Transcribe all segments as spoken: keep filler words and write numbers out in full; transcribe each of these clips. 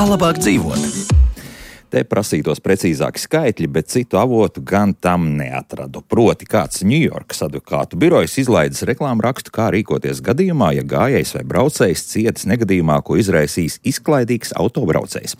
Kā labāk dzīvot? Te prasītos precīzāki skaitļi, bet citu avotu gan tam neatradu. Proti, kāds Ņujorkas advokātu birojas izlaidis reklāmu rakstu, kā rīkoties gadījumā, ja gājējs vai braucējs cietis negadījumā, ko izraisīs izklaidīgs autobraucējs.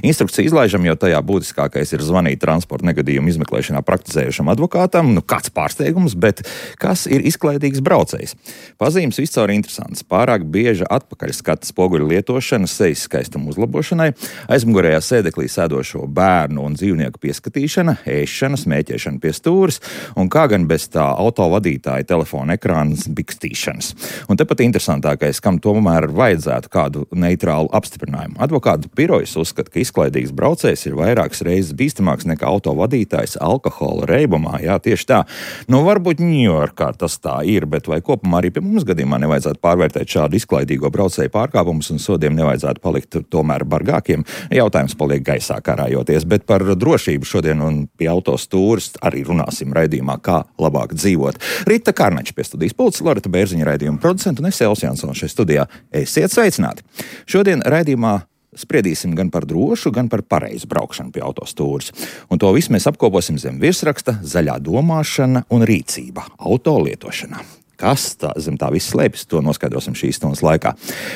Instrukciju izlaižam, jo tajā būtiskākais ir zvanīt transporta negadījumu izmeklēšanā praktizējušam advokātam. Nu, kāds pārsteigums, bet kas ir izklaidīgs braucējs? Pazīmes viscaur interesants. Pārāk bieža atpakaļ skata spoguļu lietošana sejas skaistuma uzlabošanai, aizmugurējā sēdeklī sēdošo bērnu un dzīvnieku pieskatīšana, ēšana, smēķēšana pie stūres un kā gan bez tā autovadītāja telefona ekrānas bikstīšanas. Un tepat interesantākais, kam tomēr vajadzētu kādu neitrālu apstiprinājumu. Advokātu birojas uzskata, ka izklaidīgs braucējs ir vairākas reizes bīstamāks nekā autovadītājs alkohola reibumā. Jā, tieši tā. Nu, varbūt Ņujorkā tas tā ir, bet vai kopumā arī pie mums gadījumā nevajadzētu pārvērtēt šādu izklaidīgo braucēju pārkāpumus un sodiem nevajadzētu palikt tomēr bargākiem? Jautājums paliek gaisā karā. Bet par drošību šodien un pie autostūres arī runāsim raidījumā, kā labāk dzīvot. Rita Kārnača pie studijas pults, Loreta Bērziņa raidījuma producenta un es Elvis Jansons šeit studijā. Esiet sveicināti! Šodien raidījumā spriedīsim gan par drošu, gan par pareizu braukšanu pie autostūres. Un to visu mēs apkoposim zem virsraksta zaļā domāšana un rīcība auto lietošanā. Kas tā, zem tā viss slēpjas, to noskaidrosim šīs stundas laikā.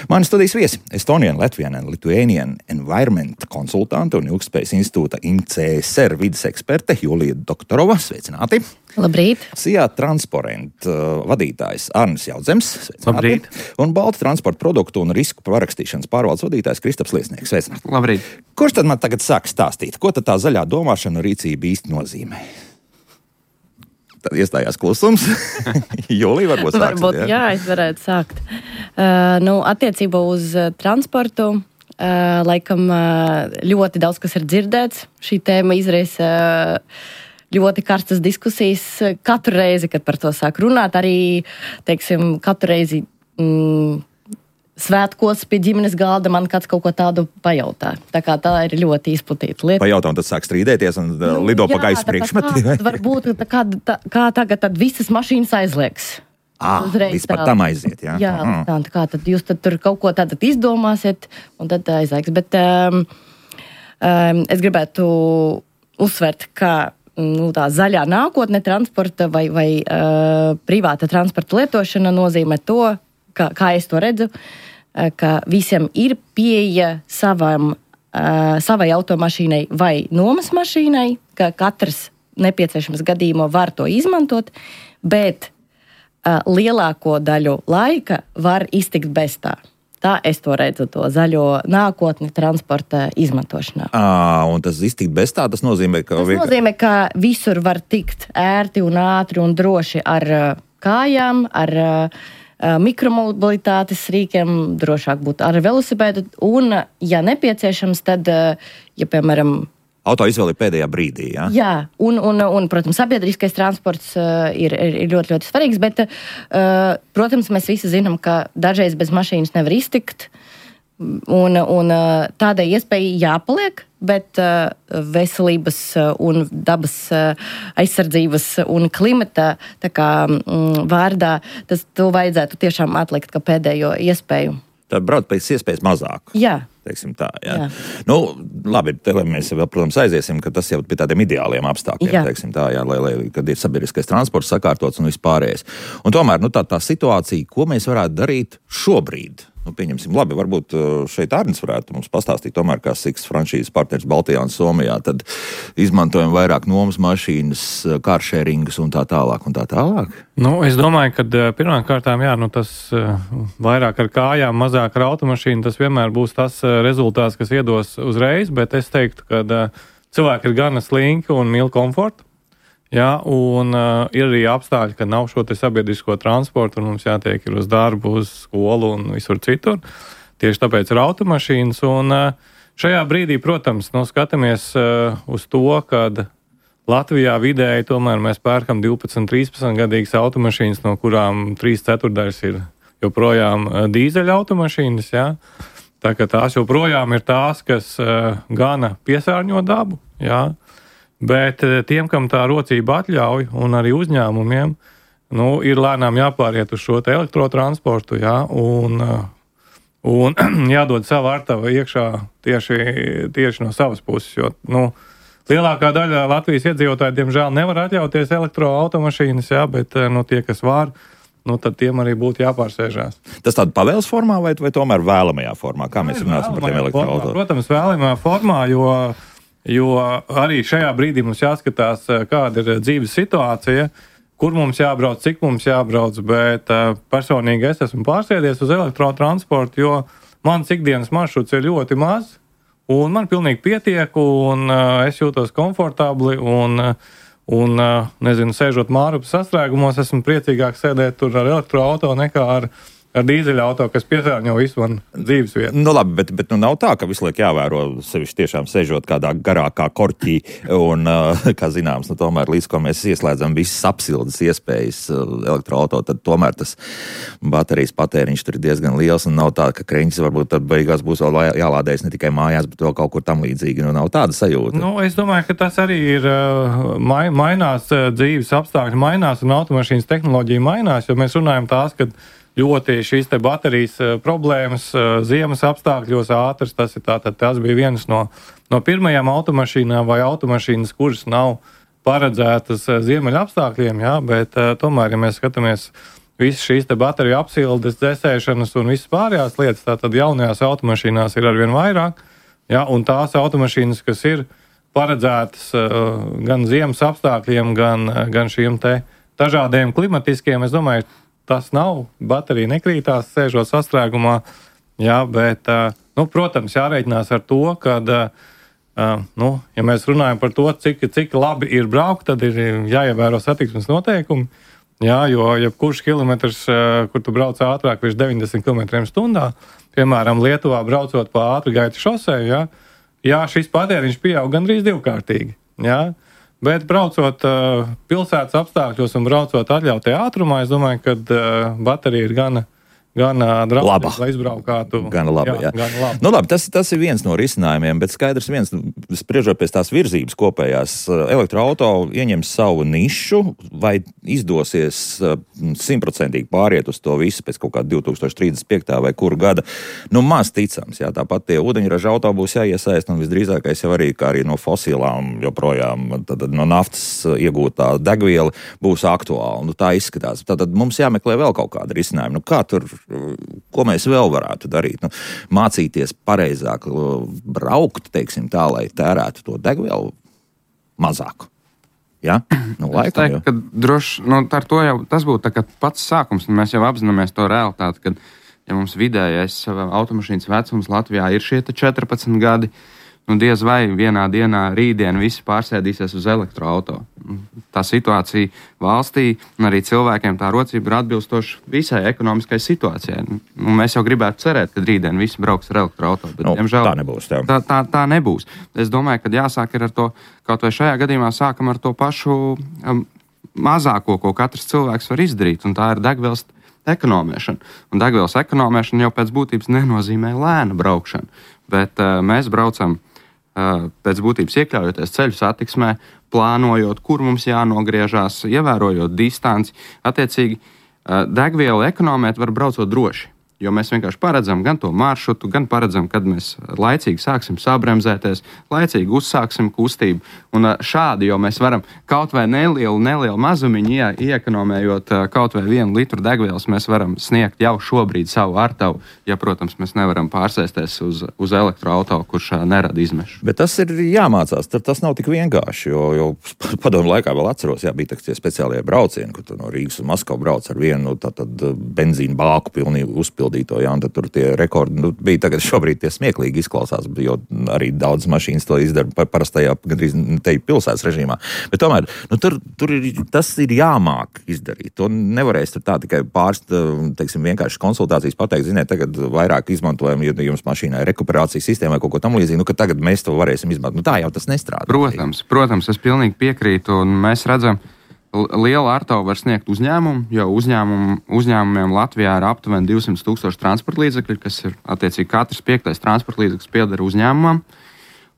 Mani studijas viesi - Estonian, Latvian and Lithuanian Environment konsultante un Ilgtspējas institūta I M C S R vides eksperte Julija Doktorova. Sveicināti! Labrīt! Sijā Transparent uh, vadītājs Arnis Jaudzems. Sveicināti! Labrīt! Un Balta transporta produktu un risku parakstīšanas pārvaldes vadītājs Kristaps Liesnieks. Sveicināti! Labrīt! Kurš tad man tagad sāk stāstīt, ko tad tā zaļā domāšana un rīcība īsti nozīmē? Tad iestājās klusums. Jūlija, varbūt sāksit, varbūt, jā? jā, es varētu sākt. Uh, nu, attiecībā uz uh, transportu, uh, laikam uh, ļoti daudz kas ir dzirdēts. Šī tēma izraisa uh, ļoti karstas diskusijas katru reizi, kad par to sāk runāt. Arī, teiksim, katru reizi mm, svētkos pie ģimenes galda man kāds kaut ko tādu pajautā. Tā kā tā ir ļoti izplatīta lieta. Pajautā un tad sāk strīdēties un nu, lido jā, pa gaisa priekšmetī. Varbūt tā kā, tā, kā tagad tad visas mašīnas aizliegs. Ā, vispār tam aiziet, jā. Jā, mm. tā, tā kā tad jūs tad tur kaut ko tātad izdomāsiet un tad aizliegs. Bet um, um, es gribētu uzsvert, ka nu, tā zaļā nākotne transporta vai, vai uh, privāta transporta lietošana nozīmē to, kā, kā es to redzu, ka visiem ir pieeja savam, uh, savai automašīnai vai nomas mašīnai, ka katrs nepieciešams gadījumā var to izmantot, bet uh, lielāko daļu laika var iztikt bez tā. Tā es to redzu, to zaļo nākotni transporta izmantošanā. À, un tas iztikt bez tā, tas nozīmē, ka... Tas vienkār... nozīmē, ka visur var tikt ērti un ātri un droši ar uh, kājām, ar uh, mikromobilitātes rīkiem, drošāk būtu ar velosipēdu, un, ja nepieciešams, tad, ja, piemēram... Auto izvēle pēdējā brīdī, jā? Jā, un, un, un protams, sabiedriskais transports uh, ir, ir ļoti, ļoti svarīgs, bet, uh, protams, mēs visi zinām, ka dažreiz bez mašīnas nevar iztikt, un, un uh, tādai iespēja jāpaliek, bet uh, veselības uh, un dabas uh, aizsardzības un klimata tā kā mm, vārdā, tas to vajadzētu tiešām atlikt kā pēdējo iespēju. Tad brauc pēc iespējas mazāk. Jā. Teiksim tā, jā. jā. Nu, labi, te mēs vēl, protams, aiziesim, ka tas jau pie tādiem ideāliem apstākļiem, jā. teiksim tā, jā, lai, lai, kad ir sabiedriskais transports sakārtots un vispārējais. Un tomēr, nu, tā, tā situācija, ko mēs varētu darīt šobrīd? Nu, pieņemsim, labi, varbūt šeit Arnis varētu mums pastāstīt, tomēr kā Siks franšīzes partners Baltijā un Somijā, tad izmantojam vairāk nomas mašīnas, kāršēringas un tā tālāk un tā tālāk. Nu, es domāju, ka pirmām kārtām, jā, nu tas vairāk ar kājām, mazāk ar automašīnu, tas vienmēr būs tas rezultāts, kas iedos uzreiz, bet es teiktu, ka cilvēki ir gana slinki un mīl komfortu. Jā, un uh, ir arī apstākļi, ka nav šo te sabiedrisko transportu, un mums jātiek ir uz darbu, uz skolu un visur citur. Tieši tāpēc ir automašīnas, un uh, šajā brīdī, protams, nu, skatāmies uh, uz to, kad Latvijā vidēji tomēr mēs pērkam divpadsmit, trīspadsmit gadīgas automašīnas, no kurām trīs ceturdaļas ir joprojām uh, dīzeļa automašīnas, jā. Tā ka tās joprojām ir tās, kas uh, gana piesārņo dabu, jā. Bet tiem, kam tā rocība atļauj, un arī uzņēmumiem, nu, ir lēnām jāpāriet uz šo te elektrotransportu, jā, un, un jādod savu artavu iekšā tieši, tieši no savas puses, jo, nu, lielākā daļa Latvijas iedzīvotāji, diemžēl, nevar atļauties elektroautomašīnas, jā, bet, nu, tie, kas var, nu, tad tiem arī būtu jāpārsēžās. Tas tāda pavēles formā vai, vai tomēr vēlamajā formā? Kā mēs runāsim par tiem elektroautoriem? Protams, vēlamajā formā, jo, jo arī šajā brīdī mums jāskatās, kāda ir dzīves situācija, kur mums jābrauc, cik mums jābrauc, bet personīgi es esmu pārsēdies uz elektrotransportu, jo mans ikdienas maršruts ir ļoti maz, un man pilnīgi pietiek, un es jūtos komfortabli, un Un, nezinu, sēžot Mārupas sastrēgumos, esmu priecīgāk sēdēt tur ar elektroauto nekā ar, ar dīzeļauto, kas piesārņo visu man dzīves vietu. Nu labi, bet, bet nu nav tā, ka visu laiku jāvēro sevišķi tiešām sēžot kādā garākā korķī un, kā zināms, nu tomēr līdz ko mēs ieslēdzam visas apsildes iespējas elektroauto, tad tomēr tas baterijas patēriņš tur ir diezgan liels un nav tā, ka kreņķis varbūt tad beigās būs vēl jālādējas ne tikai mājās, bet vēl kaut kur tam līdzīgi. Nu nav tāda sajūta. Nu, es domāju, ka tas arī ir mai, mainās dzīves apstākļi, mainās un automašīnas tehnoloģija mainās, jo mēs runājam tās, ka ļoti šīs te baterijas problēmas ziemas apstākļos ātras, tas ir tātad, tas bija viens no, no pirmajām automašīnām vai automašīnas, kuras nav paredzētas ziemeļa apstākļiem, jā, bet tomēr, ja mēs skatāmies visas šīs te bateriju apsildes, dzēsēšanas un visas pārējās lietas, tātad jaunajās automašīnās ir arvien vairāk, jā, un tās automašīnas, kas ir paredzētas gan ziemas apstākļiem, gan, gan šiem te dažādiem klimatiskiem, es domāju, tas nav, baterija nekrītās, sēžot sastrēgumā, jā, bet, nu, protams, jārēķinās ar to, ka, nu, ja mēs runājam par to, cik, cik labi ir braukt, tad ir jāievēro satiksmes noteikumi, jā, jo jebkurš kilometrs, kur tu brauc ātrāk virs deviņdesmit kilometriem stundā, piemēram, Lietuvā braucot pa ātrgaitu šoseju, jā, jā, šis patēriņš pieaug gandrīz divkārtīgi, jā, bet braucot uh, pilsētas apstākļos un braucot atļautajā ātrumā, es domāju, ka uh, baterija ir gana, gana draudzīga, lai izbraukātu. Gana labi, jā. jā. Gana labi. Nu labi, tas, tas ir viens no risinājumiem, bet skaidrs viens, spriežot pēc tās virzības kopējās, elektroauto ieņems savu nišu, vai izdosies simtprocentīgi pāriet uz to visu pēc kaut kāda divi tūkstoši trīsdesmit piekta vai kuru gada. Nu, maz ticams, jā, tāpat tie ūdeņraža auto būs jāiesaist, un visdrīzākais jau arī, kā arī no fosilām joprojām, tad no naftas iegūtā degviela būs aktuāla. Nu, tā izskatās. Tātad mums jāmeklē vēl kaut kāda risinājuma. Nu, kā tur, ko mēs vēl varētu darīt? Nu, mācīties pareizāk braukt, teiksim tā, lai tērētu to degvielu mazāk. Ja? Nu, laikam, es teiktu, ka droši, nu, ar to jau tas būtu tā kā pats sākums, un mēs jau apzināmies to realitāti, kad, ja mums vidējais automašīnas vecums Latvijā ir šie četrpadsmit gadi, nu, diez vai vienā dienā rītdien visi pārsēdīsies uz elektroauto. Tā situācija valstī un arī cilvēkiem tā rocība ir atbilstoša visai ekonomiskai situācijai. Nu, mēs jau gribētu cerēt, ka rītdien visi brauks ar elektroauto, bet, nu, diemžēl, tā nebūs. Tā. Tā, tā, tā nebūs. Es domāju, ka jāsāk ir ar to, kaut vai šajā gadījumā sākam ar to pašu um, mazāko, ko katrs cilvēks var izdarīt, un tā ir degvielas ekonomēšana. Un degvielas ekonomēšana jau pēc būtības nenozīmē lēna braukšanu, bet uh, mēs braucam pēc būtības iekļaujoties ceļu satiksmē, plānojot, kur mums jānogriežās, ievērojot distanci. Attiecīgi, degvielu ekonomēt var braucot droši, jo mēs vienkārši paredzam gan to maršrutu, gan paredzam, kad mēs laicīgi sāksim sabremzēties, laicīgi uzsāksim kustību. Un šādi jau mēs varam kaut vai nelielu, nelielu mazumiņu ie, iekonomējot kaut vai vienu litru degvielas, mēs varam sniegt jau šobrīd savu artavu, ja, protams, mēs nevaram pārsēsties uz, uz elektroauto, kurš nerada izmešu. Bet tas ir jāmācās, tas nav tik vienkārši, jo, jo padomu laikā vēl atceros, jā, bija tie speciālie braucieni, kur tu no Rīgas uz Maskavu brauc ar vienu tā, tad benzīnu bāku pilnīgi uzpildīto, jā, un tad tur tie rekordi, nu, bija tagad šobrīd tie smieklīgi izklausās, jo arī daudz mašīnas to izdara parastajā, gandrīz te pilsētas režīmā. Bet tomēr, nu, tur, tur ir, tas ir jāmāk izdarīt. To nevarēs tur tā tikai pārst, teiksim, vienkārši konsultācijas pateikt, ziniet, tagad vairāk izmantojam, ja jums mašīnā ir rekuperācijas sistēma vai kaut ko tam līdzīgi, nu, ka tagad mēs to varēsim izmantot. Nu, tā jau tas nestrādā. Protams, protams, es pilnīgi piekrītu, un mēs redzam, liela artavu var sniegt uzņēmumu, jo uzņēmum, uzņēmumiem Latvijā ir aptuveni divsimt tūkstoši transporta līdzekļi, kas ir, attiecīgi, katrs piektais transporta līdzeklis pieder uzņēmumam.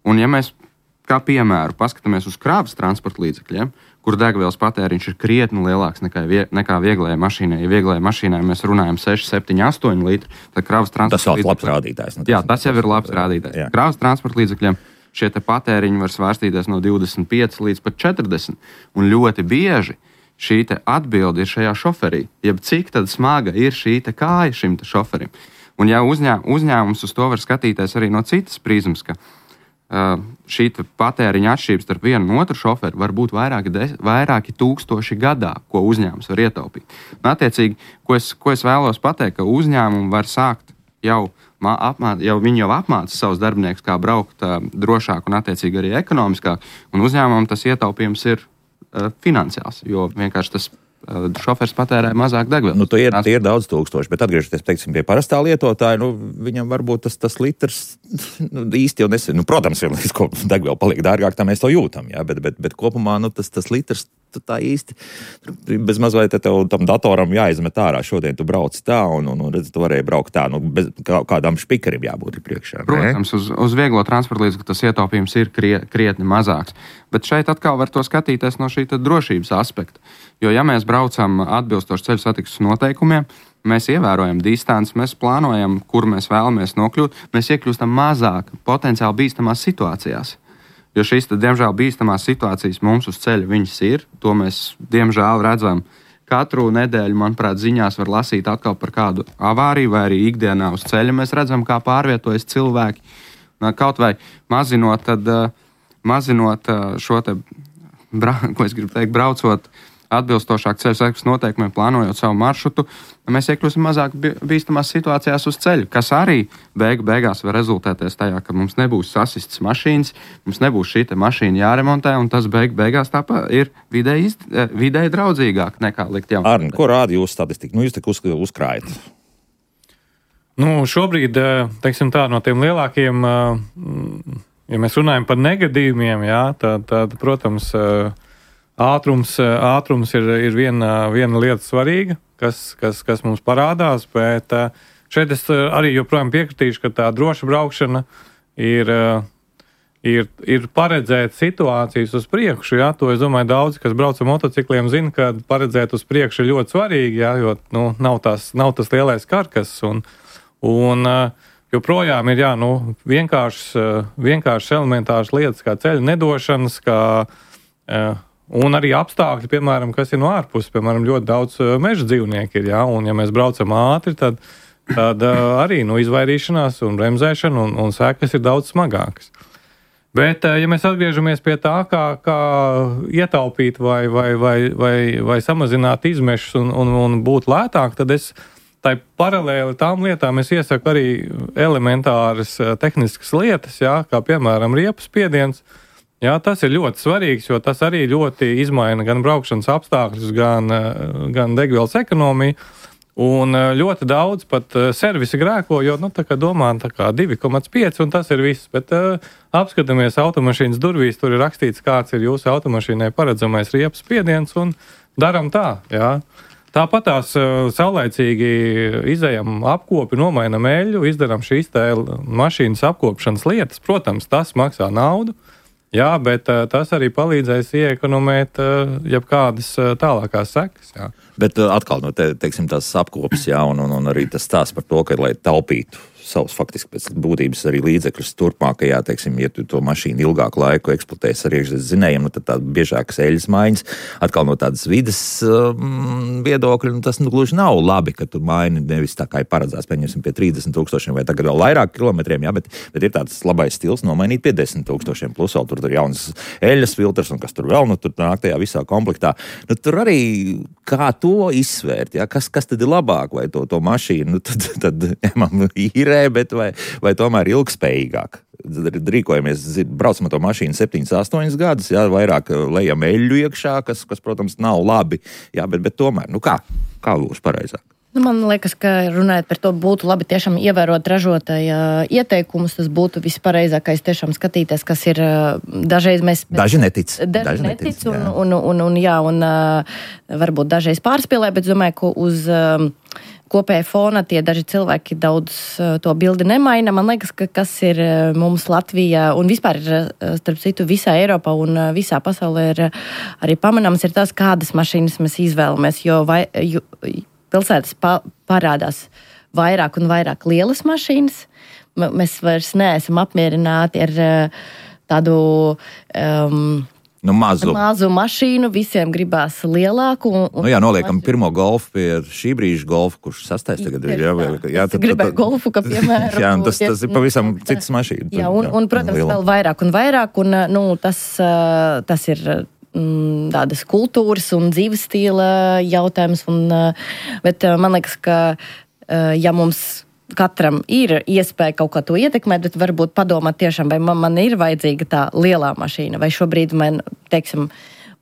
Un ja mēs, kā piemēru, paskatāmies uz krāvas transporta līdzekļiem, kur degvielas patēriņš ir krietni lielāks nekā, vie, nekā vieglajai mašīnai. Ja vieglajai mašīnai mēs runājam seši, septiņi, astoņi litri, tad kravas transporta līdzekļiem. Tas jau ir labs rādītājs. Jā, tas jau ir labs rādītājs. Jā. Kravas transporta līdzekļiem šie te patēriņi var svārstīties no divdesmit pieci līdz pat četrdesmit. Un ļoti bieži šī te atbilde ir šajā šoferī. Jeb cik tad smaga ir šī te kāja šim te šoferim. Un ja uzņē, uzņēmums uz to var skatīties arī no citas prizmas, ka uh, šī te patēriņa atšķirības starp vienu un otru šoferi var būt vairāki, de, vairāki tūkstoši gadā, ko uzņēmums var ietaupīt. Un attiecīgi, ko es, ko es vēlos pateikt, ka uzņēmumi var sākt jau Apmā, jau viņi jau apmāca savus darbiniekus, kā braukt uh, drošāk un attiecīgi arī ekonomiskāk, un uzņēmumam tas ietaupījums ir uh, finansiāls, jo vienkārši tas uh, šofers patērē mazāk degvielas. Nu, tie ir, tie ir daudz tūkstoši, bet atgriežoties, teiksim, pie parastā lietotāja, nu, viņam varbūt tas, tas litrs nu, īsti jau nesen, nu, protams, ja līdz ko degviela paliek dārgāk, tā mēs to jūtam, jā, bet, bet, bet kopumā, nu, tas, tas litrs tā īsti, bez maz vai te tev tam datoram jāizmet ārā, šodien tu brauc tā, un, un, un redz, tu varēji braukt tā, nu, bez kā, kādām špikarim jābūt priekšā. Protams, uz, uz vieglo transporta līdzekļu tas ietaupījums ir krie, krietni mazāks, bet šeit atkal var to skatīties no šī drošības aspekta, jo ja mēs braucam atbilstoši ceļu satiksmes noteikumiem, mēs ievērojam distanci, mēs plānojam, kur mēs vēlamies nokļūt, mēs iekļūstam mazāk potenciāli bīstamās situācijās. Jo šīs, tad, diemžēl, bīstamās situācijas mums uz ceļa viņas ir. To mēs, diemžēl, redzam katru nedēļu, manuprāt, ziņās var lasīt atkal par kādu avāriju, vai arī ikdienā uz ceļa mēs redzam, kā pārvietojas cilvēki. Kaut vai mazinot, tad, mazinot šo te, ko es gribu teikt, braucot atbilstošāk ceļu satiksmes noteikumiem, plānojot savu maršrutu, mēs iekļūsim mazāk bīstamās situācijās uz ceļu, kas arī beigu beigās var rezultēties tajā, ka mums nebūs sasistas mašīnas, mums nebūs šī te mašīna jāremontē, un tas beigu beigās tāpēc ir vidēji, vidēji draudzīgāk nekā likt jaunu. Arni, ko rāda jūsu statistika? Nu, jūs tik uz, uzkrājat. Nu, šobrīd, teiksim tā, no tiem lielākiem, ja mēs runājam par negadījumiem, jā, tad, tad protams, Ātrums, ātrums ir, ir viena, viena lieta svarīga, kas, kas, kas mums parādās, bet šeit es arī joprojām piekritīšu, ka tā droša braukšana ir, ir, ir paredzēt situācijas uz priekšu. Jā, to es domāju, daudzi, kas brauc ar motocikliem, zina, ka paredzēt uz priekšu ir ļoti svarīgi, jā, jo nu, nav, tās, nav tas lielais karkas. Un, un joprojām ir jā, nu, vienkāršas, vienkāršas elementāras lietas, kā ceļa nedošanas, kā un arī apstākļi, piemēram, kas ir no ārpuses, piemēram, ļoti daudz meža dzīvnieku ir, jā, un ja mēs braucam ātri, tad, tad arī nu, izvairīšanās un bremzēšana un, un sekas ir daudz smagākas. Bet, ja mēs atgriežamies pie tā, kā, kā ietaupīt vai, vai, vai, vai, vai samazināt izmešus un, un, un būt lētāk, tad es tai paralēli tām lietām es iesaku arī elementāras tehniskas lietas, jā, kā piemēram riepas spiediens. Jā, tas ir ļoti svarīgs, jo tas arī ļoti izmaina gan braukšanas apstākļus, gan, gan degvielas ekonomiju. Un ļoti daudz pat servisi grēko, jo nu, tā kā domā tā kā divi komats pieci un tas ir viss. Bet uh, apskatāmies automašīnas durvīs, tur ir rakstīts, kāds ir jūsu automašīnai paredzamais riepas spiediens un daram tā, jā. Tāpat tās uh, saulaicīgi izejam apkopi, nomainam eļļu, izdaram šīs tā mašīnas apkopšanas lietas. Protams, tas maksā naudu. Jā, bet uh, tas arī palīdzēs ieekonomēt uh, jebkādas uh, tālākās sekas. Jā. Bet uh, atkal, no te, teiksim, tās apkopes, jā, un, un, un arī tas stāsts par to, ka, lai taupītu savus faktiski pēc būtības arī līdzekļus turpmākajā, teiksim, ja tu to mašīnu ilgāku laiku eksploatēs ar iekšzemes zinējiem, nu tad tā biežākas eļļas maiņas, atkal no tādas vides um, viedokļa, nu tas nu gluži nav labi, ka tu maini nevis tā kā ir paredzēts, pieņemsim pie trīsdesmit tūkstošiem vai tagad vēl vairāk kilometriem, jā, bet, bet ir tāds labais stils nomainīt pie desmit tūkstošiem, plus vēl tur ir jaunas eļļas filtrs un kas tur vēl, nu tur nāk tajā visā komplektā. Nu tur arī kā to izsvērt, jā, kas, kas tad ir labāk, vai to, to mašīnu, nu tad, tad ņemam īrē, bet vai, vai tomēr ilgspējīgāk. Rīkojamies, braucam ar to mašīnu septiņus, astoņus gadus, jā, vairāk lejam eļļu iekšā, kas, kas, protams, nav labi, jā, bet, bet tomēr, nu kā, kā būs pareizāk? Nu, man liekas, ka runājot par to būtu labi tiešām ievērot ražotāja ieteikumus, tas būtu vispareizākais tiešām skatīties, kas ir dažreiz mēs... Daži netic. Daži, daži netic, netic un, un, un, un, jā, un varbūt dažreiz pārspēlē, bet domāju, ka uz kopējā fona tie daži cilvēki daudz to bildi nemaina. Man liekas, ka kas ir mums Latvijā un vispār ir, starp citu, visā Eiropā un visā pasaulē ir arī pamanāms, ir tas, kādas mašīnas mēs izvēlamies, jo, vai, jo pilsētas pa, parādās vairāk un vairāk lielas mašīnas. M- mēs vairs neesam apmierināti ar tādu... Um, Nu, mazu. mazu mašīnu, visiem gribās lielāku. Un, un nu, jā, noliekam pirmo golfu pie šī brīža golfu, kurš sastais tagad ir. Jā, jā, tad, gribēju tad, golfu, kā piemēram. Jā, tas, tas ir pavisam citas mašīnas. Jā, un, un protams, vēl vairāk un vairāk. Un, nu, tas, tas ir mm, tādas kultūras un dzīves stila jautājums. Un, bet man liekas, ka ja mums katram ir iespēja kaut kā to ietekmēt, bet varbūt padomāt tiešām, vai man, man ir vajadzīga tā lielā mašīna, vai šobrīd man, teiksim,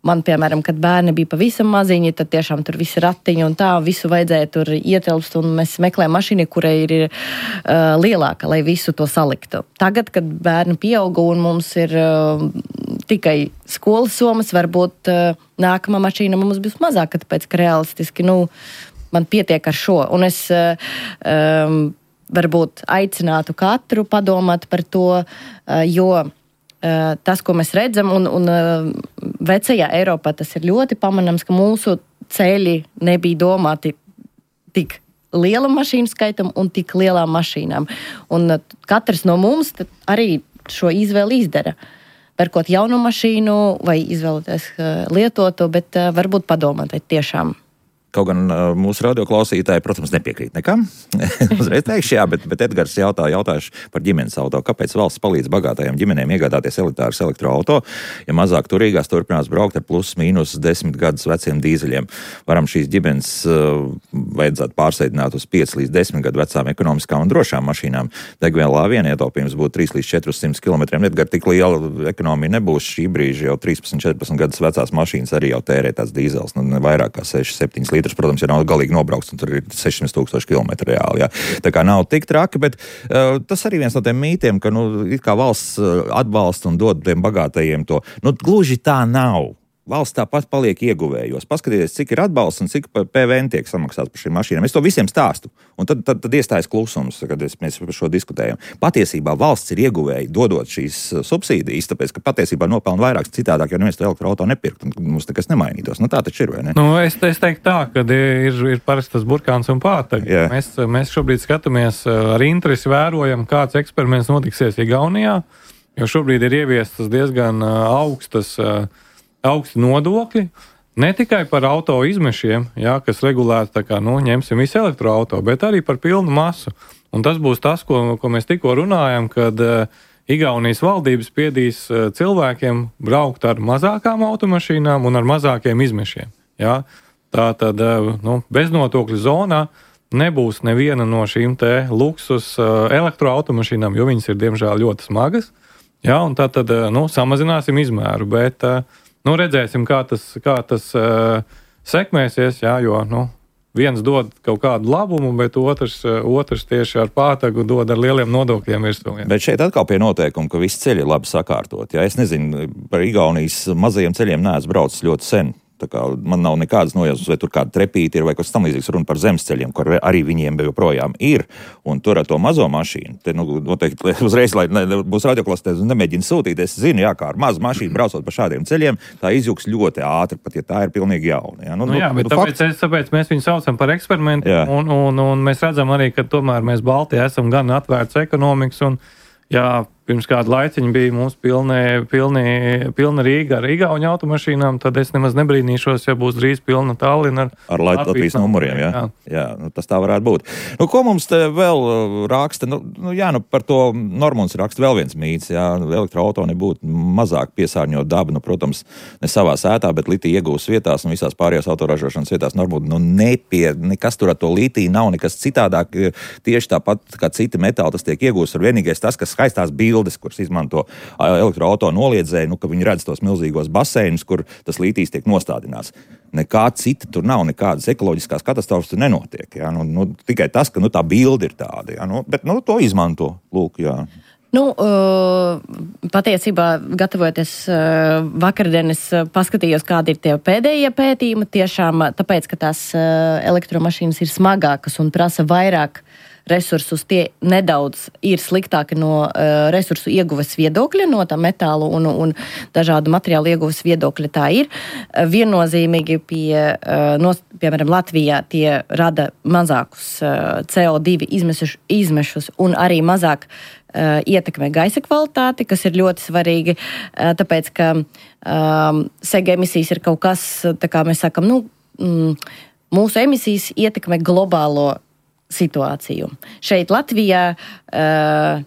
man, piemēram, kad bērni bija pavisam maziņi, tad tiešām tur visi ratiņi un tā, visu vajadzēja tur ietilpst, un mēs meklējam mašīnu, kurai ir uh, lielāka, lai visu to saliktu. Tagad, kad bērni pieauga un mums ir uh, tikai skolas somas, varbūt uh, nākamā mašīna mums būs mazāka, tāpēc, ka realistiski, nu, man pietiek ar šo, un es um, varbūt aicinātu katru padomāt par to, uh, jo uh, tas, ko mēs redzam, un, un uh, vecajā Eiropā tas ir ļoti pamanāms, ka mūsu ceļi nebija domāti tik liela mašīnu skaitam un tik lielām mašīnām. Un uh, katrs no mums arī šo izvēli izdara. Pērkot jaunu mašīnu vai izvēloties uh, lietotu, bet uh, varbūt padomāt, vai tiešām. Kaut gan uh, mūsu radioklausītāji, protams, nepiekrīt nekam. Uzreiz teikšu, jā, bet, bet Edgars jautā, jautājuši par ģimenes auto. Kāpēc valsts palīdz bagātajām ģimenēm iegādāties elitārus elektroauto, ja mazāk turīgās turpinās braukt ar plus mīnus desmit gadus veciem dīzeļiem? Varam šīs ģimenes uh, vajadzētu pārsēdināt uz pieci līdz desmit gadu vecām ekonomiskām un drošām mašīnām. Degvielā vien ietaupījums būtu trīs līdz četrsimt kilometriem. Edgar, tik liela ekonomija nebūs šī brīža, jau trīspadsmit četrpadsmit gadus vecās mašīnas arī jau tērē tās dīzels, nu, vairāk kā seši septiņi līderi. Protams, ja nav galīgi nobraukts, un tur ir sešsimt tūkstoši kilometri reāli. Jā. Tā kā nav tik traki, bet uh, tas arī viens no tiem mītiem, ka nu, it kā valsts uh, atbalsta un dod tiem bagātajiem to. Nu, gluži tā nav. Valsts tāpat paliek ieguvējos. Paskatieties, cik ir atbalsts un cik P V N tiek samaksāts par šīm mašīnām. Es to visiem stāstu. Un tad, tad, tad iestājas klusums, kad es, mēs par šo diskutējam. Patiesībā valsts ir ieguvēji dodot šīs subsīdijas, tāpēc, ka patiesībā nopelna vairāk citādāk, jo neviens to elektroauto nepirkt un mums nekas nemainītos. Nu tā taču ir, vai ne? Nu, es, es teiktu tā, ka ir, ir parasti tas burkāns un pātaga. Yeah. Mēs, mēs šobrīd skatāmies ar interesi vērojam, kāds eksperiments notiksies Igaunijā, jo šobrīd ir ieviestas diezgan augstas augsti nodokļi, ne tikai par auto izmešiem, jā, kas regulēti, tā kā, nu, ņemsim visu elektroauto, bet arī par pilnu masu. Un tas būs tas, ko, ko mēs tikko runājam, kad uh, Igaunijas valdības spiedīs uh, cilvēkiem braukt ar mazākām automašīnām un ar mazākiem izmešiem. Jā. Tā tad, uh, nu, beznodokļu zonā nebūs neviena no šīm te luksus uh, elektroautomašīnām, jo viņas ir, diemžēl, ļoti smagas. Jā, un tā tad, uh, nu, samazināsim izmēru, bet uh, Nu, redzēsim, kā tas, kā tas uh, sekmēsies, jā, jo nu, viens dod kaut kādu labumu, bet otrs, uh, otrs tieši ar pātagu dod ar lieliem nodokļiem virsū. Bet šeit atkal pie noteikuma, ka visi ceļi ir labi sakārtot. Jā. Es nezinu, par Igaunijas mazajiem ceļiem neesmu braucis ļoti sen. Tā kā man nav nekādas nojausmas, vai tur kāda trepīti ir, vai kas tam līdzīgs, runa par zemesceļiem, kur arī viņiem joprojām ir. Un tur ar to mazo mašīnu, te, nu, noteikti, uzreiz, lai ne, būs radioklāsties un nemēģina sūtīt, es zinu, jā, kā ar mazu mašīnu braucot pa šādiem ceļiem, tā izjūgs ļoti ātri, pat ja tā ir pilnīgi jauna. Jā, nu, nu, jā bet nu, tāpēc, es, tāpēc mēs viņu saucam par eksperimentu, un, un, un mēs redzam arī, ka tomēr mēs Baltijā esam gan atvērts ekonomikas, un jā, pirms kādu laiciņu bija mums pilni, pilni, pilna Rīga ar igauņu automašīnām, tad es nemaz nebrīnīšos, ja būs drīz pilna Tallina ar, ar Latvijas numuriem. Jā, jā. jā nu, tas tā varētu būt. Nu, ko mums te vēl raksta? Nu, nu, jā, nu, par to Normunds raksta vēl viens mīts. Jā, elektroauto nebūtu mazāk piesārņot dabu, nu, protams, ne savā sētā, bet litija iegūs vietās un visās pārējās autoražošanas vietās Normund. Nu, nepie, nekas tur ar to litiju nav, nekas citādāk. Tieši tāpat kā citi metāli, tas tiek iegūs. Ar vienīgais tas, kas skaistās bildes, kuras izmanto elektroauto noliedzēji, nu, ka viņi redz tos milzīgos baseinus, kur tas litijs tiek nostādināts. Nekā cita tur nav, nekādas ekoloģiskās katastrofas tur nenotiek. Jā. Nu, nu, tikai tas, ka nu, tā bilde ir tāda. Jā. Nu, bet nu, to izmanto. Lūk, jā. Nu, patiesībā, gatavojoties vakardien, es paskatījos, kādi ir tie pēdējie pētījumi. Tiešām tāpēc, ka tās elektromašīnas ir smagākas un prasa vairāk resursus, tie nedaudz ir sliktāki no uh, resursu ieguves viedokļa, no tā metālu un, un dažādu materiālu ieguves viedokļa tā ir. Uh, viennozīmīgi pie, uh, nos, piemēram, Latvijā tie rada mazākus uh, C O divi izmešus, izmešus un arī mazāk uh, ietekmē gaisa kvalitāti, kas ir ļoti svarīgi, uh, tāpēc, ka um, sega emisijas ir kaut kas, tā kā mēs sakam, nu, mm, mūsu emisijas ietekmē globālo situāciju. Šeit Latvijā uh,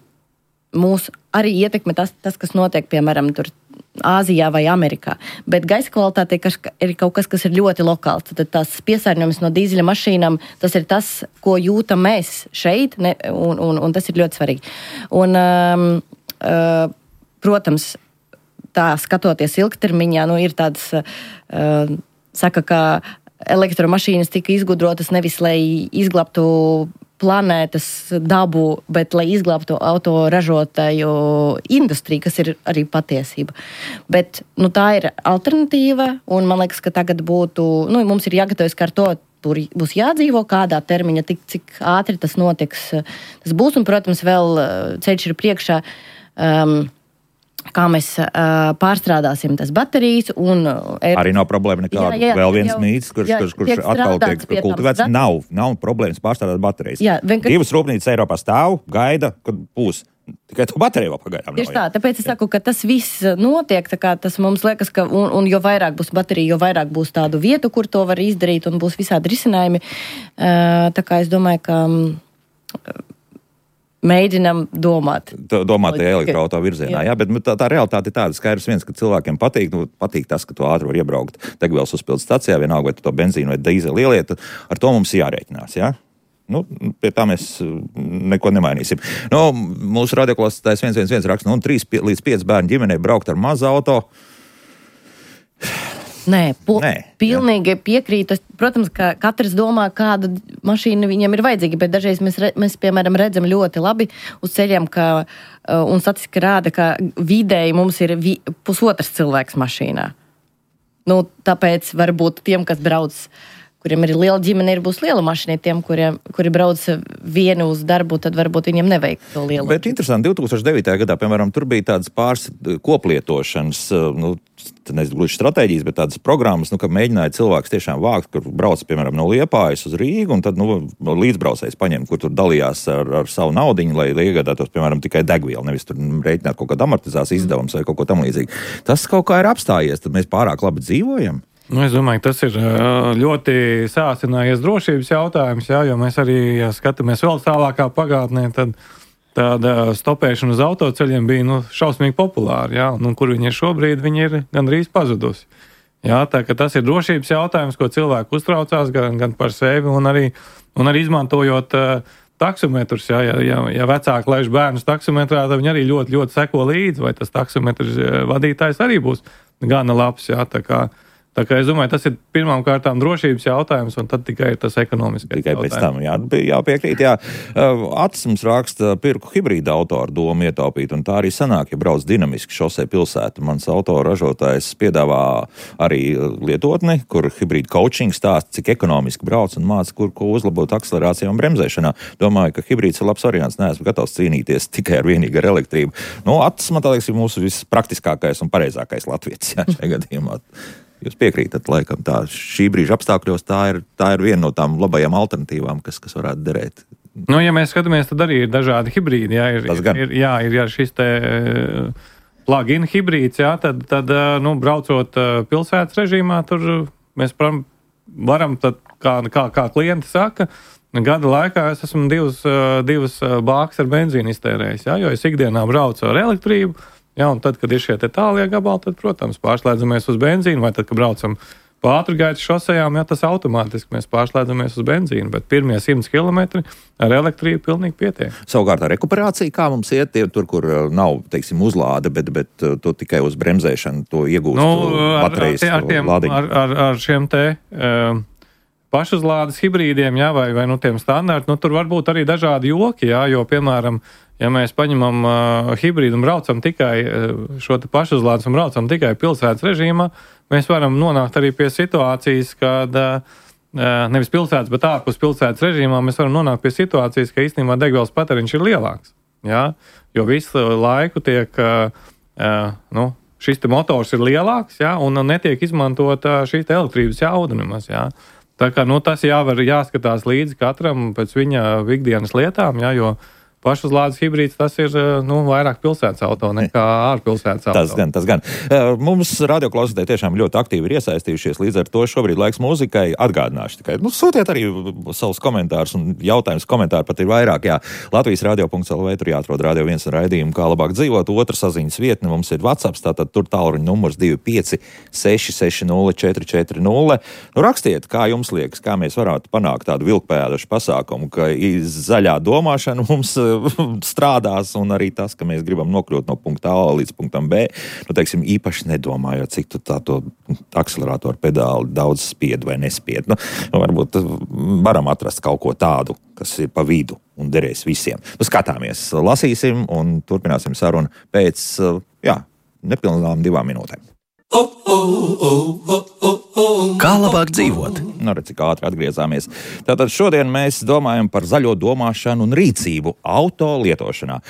mūs arī ietekmē tas, tas, kas notiek, piemēram, tur Āzijā vai Amerikā. Bet gaisa kvalitāte ir kaut kas, kas ir ļoti lokāls. Tad tās piesārņojums no dīzeļa mašīnām, tas ir tas, ko jūtam mēs šeit, ne, un, un, un tas ir ļoti svarīgi. Un, um, uh, protams, tā skatoties ilgtermiņā, nu, ir tāds, uh, saka, ka elektromašīnas tika izgudrotas nevis, lai izglābtu planētas dabu, bet lai izglābtu autoražotāju industriju, kas ir arī patiesība. Bet nu, tā ir alternatīva, un man liekas, ka tagad būtu, nu, mums ir jāgatavojas, ka ar to tur būs jādzīvo, kādā termiņa, tik, cik ātri tas notiks. Tas būs, un, protams, vēl ceļš ir priekšā. Um, kā mēs uh, pārstrādāsim tas baterijas. Un, uh, arī nav problēma nekāda. Jā, jā, vēl viens jau, mīts, kurš, jā, kurš, kurš atkal tiek kultivēts. Nav, nav problēmas pārstrādāt baterijas. Jā, vienkār... Divas rūpnīcas Eiropā stāv, gaida, kad būs. Tikai to bateriju vēl pagaidām nav. Tieši tā, tāpēc es saku, ka tas viss notiek, tā kā tas mums liekas, ka, un, un jo vairāk būs baterija, jo vairāk būs tādu vietu, kur to var izdarīt, un būs visādi risinājumi. Uh, tā kā es domāju, ka... Um, mēģinam domāt. Domāt tajā elektroauto virzienā, jā, jā bet tā, tā realitāte ir tāda, skaidrs viens, ka cilvēkiem patīk, nu, patīk tas, ka tu ātri var iebraukt degvielas uzpildes stacijā, vienalga, vai tu to benzīnu vai dīzeli ieliet, ar to mums jārēķinās, jā? Nu, pie tā mēs neko nemainīsim. Nu, mūsu radioklausītājs viens viens viens raksta, nu, trīs līdz pieci bērnu ģimenei braukt ar mazu auto. Nē, po, Nē, pilnīgi piekrītu. Protams, ka katrs domā, kāda mašīna viņam ir vajadzīga, bet dažreiz mēs, re, mēs piemēram, redzam ļoti labi uz ceļiem, ka, un statistika rāda, ka vidēji mums ir vi, pusotrs cilvēks mašīnā. Nu, tāpēc varbūt tiem, kas brauc, kuriem ir liela ģimene, ir būs liela mašīna, tiem, kuriem, kuri brauc vienu uz darbu, tad varbūt viņiem nevajag to lielu. Bet interesanti, divi tūkstoši devītajā gadā, piemēram, tur bija tādas pāris koplietošanas, nu, nezinu, gluži stratēģijas, bet tādas programmas, nu, ka mēģināja cilvēks tiešām vākt, kur brauc, piemēram, no Liepājas uz Rīgu, un tad, nu, līdzbraucējs paņem, kur tur dalījās ar, ar savu naudiņu, lai, lai iegādātos, piemēram, tikai degvielu, nevis tur rēķināt kaut kādu amortizācijas izdevumus vai kaut ko tam līdzīgi. Tas kaut kā ir apstājies, tad mēs pārāk labi dzīvojam. Nu, es domāju, ka tas ir ļoti sāsinājies drošības jautājums, jā, jo mēs arī, ja skatāmies vēl tālākā pagātnē, tad tāda stopēšana uz autoceļiem bija nu, šausmīgi populāra, jā, un kur viņi ir šobrīd, viņi ir gandrīz pazudusi. Jā, tā ka tas ir drošības jautājums, ko cilvēki uztraucās gan, gan par sevi, un arī, un arī izmantojot uh, taksometrus, jā, ja, ja, ja vecāki laiž bērnus taksometrā, tad viņi arī ļoti, ļoti seko līdzi, vai tas taksometrs vadītājs arī būs gana labs, jā, tā kā Tā kā es domāju, tas ir pirmām kārtām drošības jautājums, un tad tikai ir tas ekonomiskais tikai jautājums. Tikai pēc tam, jā, jāpiekrīt, jā. Atis mums raksta, pirku hibrīda auto ar domu ietaupīt, un tā arī sanāk, ja brauc dinamiski šosei pilsētu. Mans auto ražotājs piedāvā arī lietotni, kur hibrīda coaching stāsta, cik ekonomiski brauc un māca, kur ko uzlabot akcelerācijā un bremzēšanā. Domāju, ka hibrīds ir labs variants, neesmu gatavs cīnīties tikai ar vienīgi ar elektrību. Nu, Atis, man tā liekas, ir mūsu vispraktiskākais un pareizākais latvietis, jā, šajā gadījumā. Jūs piekrītat, laikam, tā šī brīža apstākļos tā ir, tā ir viena no tām labajām alternatīvām, kas, kas varētu derēt. Nu, ja mēs skatāmies, tad arī ir dažādi hibrīdi. Jā, ir, ir, jā, ir jā, šis te plug-in hibrīds, jā, tad, tad nu, braucot pilsētas režīmā, tur mēs varam, tad, kā, kā, kā klienti saka, gada laikā es esmu divas, divas bākas ar benzīnu iztērējis, jā, jo es ikdienā braucu ar elektrību. Jā, un tad, kad ir šie te tālie gabali, tad, protams, pārslēdzamies uz benzīnu, vai tad, kad braucam pa ātrgaitas šosejām, jā, tas automātiski mēs pārslēdzamies uz benzīnu, bet pirmie simts kilometri ar elektrību pilnīgi pietiek. Savukārt ar rekuperāciju, kā mums iet, tie tur, kur nav, teiksim, uzlāde, bet, bet to tikai uz bremzēšanu, to iegūst nu, baterijas ar, ar, tiem, lādiņu. Ar, ar, ar šiem te uh, pašuzlādes hibrīdiem, jā, vai, vai nu tiem standarti, nu tur var būt arī dažādi joki, jā, jo, piemēram, ja mēs paņemam uh, hibrīdu un braucam tikai uh, šo te pašuzlādes un braucam tikai pilsētas režīmā, mēs varam nonākt arī pie situācijas, kad uh, nevis pilsētas, bet ārpus pilsētas režīmā mēs varam nonākt pie situācijas, ka īstenībā degvielas patēriņš ir lielāks, jā, jo visu laiku tiek, uh, uh, nu, šis te motors ir lielāks, jā, un netiek izmantot uh, šī te elektrības jauda nemaz, jā. Tā kā, nu, tas jāvar jāskatās līdzi katram pēc viņa ikdienas lietām, jā, jo pašuzlādes hibrīds tas ir, nu, vairāk pilsētas auto nekā ārpilsētas auto. Tas gan, tas gan. Mums radioklausītāji tiešām ļoti aktīvi ir iesaistījušies, līdz ar to šobrīd laiks mūzikai. Atgādināšu tikai, nu, sūtiet arī savus komentārus un jautājumus, komentāri pat ir vairāk, jā. Latvijas radio punkts el vē, tur jāatrod radio viens raidījumu, kā labāk dzīvot. Otra saziņas vietne mums ir WhatsApp, tātad tur tālruņa numurs divi pieci seši seši nulle četri četri nulle. Nu, rakstiet, kā jums liekas, kā mēs varētu panākt tādu vilkpēdašu pasākumu, ka zaļā domāšana mums strādās, un arī tas, ka mēs gribam nokļūt no punkta A līdz punktam B, nu, teiksim, īpaši nedomājot, cik tu tā to akceleratoru pedāli daudz spied vai nespied. Nu, varbūt varam atrast kaut ko tādu, kas ir pa vidu un derēs visiem. Nu, skatāmies, lasīsim un turpināsim sarunu pēc, jā, nepilnām divām minūtēm. Kā labāk dzīvot? Nu, redz, cik ātri atgriezāmies. Tātad šodien mēs domājam par zaļo domāšanu un rīcību auto lietošanā.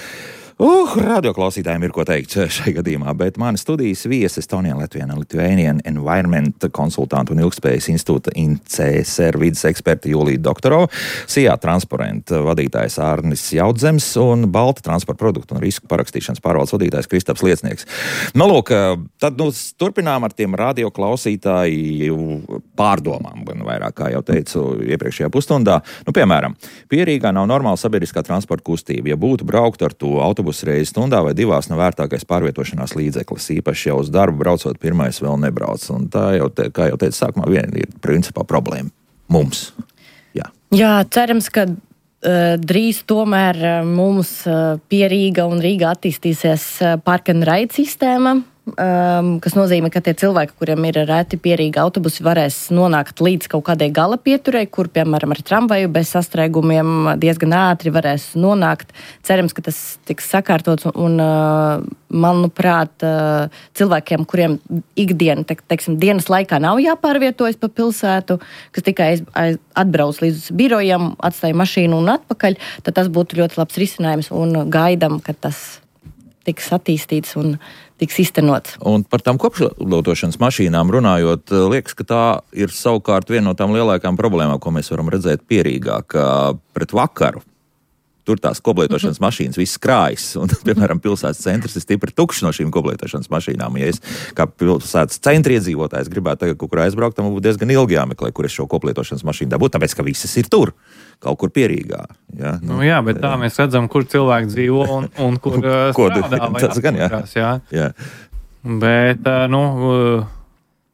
Uh, radioklausītājiem ir ko teikt šai gadījumā, bet mani studijas viesis Estonian Latvian Lithuanian Environment konsultantu un ilgspējas institūta I N C S R vides eksperta Julija Doktorova, Sijā Transparent vadītājs Ārnis Jaudzems un Balta transporta produktu un risku parakstīšanas pārvaldes vadītājs Kristaps Liecnieks. Nu, lūk, tad nu, turpinām ar tiem radioklausītāju pārdomām, vairāk, kā jau teicu iepriekšējā pusstundā. Nu, piemēram, Pierīgā nav normāla sabiedriskā transporta kustība. Ja būtu braukt ar to autobusu reizes stundā vai divās nav vērtākais pārvietošanās līdzeklis. Īpaši jau uz darbu braucot pirmais vēl nebrauc. Un tā jau, te, kā jau teicu, sākumā vien ir principā problēma mums. Jā, Jā cerams, ka uh, drīz tomēr uh, mums uh, pie Rīga un Rīga attīstīsies uh, park and ride sistēma. Um, kas nozīmē, ka tie cilvēki, kuriem ir reti pierīgi autobusi, varēs nonākt līdz kaut kādai gala pieturei, kur, piemēram, ar tramvaju bez sastrēgumiem diezgan ātri varēs nonākt. Cerams, ka tas tiks sakārtots un, uh, manuprāt, uh, cilvēkiem, kuriem ikdiena, te, teiksim, dienas laikā nav jāpārvietojas pa pilsētu, kas tikai aiz, aiz, atbrauc līdz birojam, atstāja mašīnu un atpakaļ, tad tas būtu ļoti labs risinājums un gaidam, ka tas tiks attīstīts un tiks iztenots. Un par tām kopšlietošanas mašīnām runājot, liekas, ka tā ir savukārt viena no tām lielākām problēmām, ko mēs varam redzēt Pierīgā, ka pret vakaru tur tās koplietošanas mm-hmm. mašīnas viss krājas, un, piemēram, pilsētas centrs ir stipri tukšs no šīm koplietošanas mašīnām. Ja es kā pilsētas centra iedzīvotājs gribētu tagad kaut kur aizbraukt, tad man būtu diezgan ilgi jāmeklē, kur es šo koplietošanas mašīnu dabūtu, tāpēc, ka visas ir tur, kaut kur Pierīgā. Ja? Nu, nu, jā, bet tā mēs redzam, kur cilvēki dzīvo un, un kur strādā. Tas gan, jā. jā. jā. Bet, nu,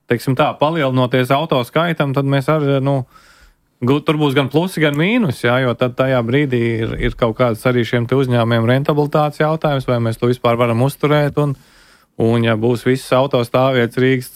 teiksim tā, palielinoties auto skaitam, tad mēs arī, nu, tur būs gan plusi, gan mīnus, jā, jo tad tajā brīdī ir, ir kaut kāds arī šiem te uzņēmumiem rentabilitātes jautājums, vai mēs to vispār varam uzturēt, un, un ja būs visas autostāvvietas Rīgas,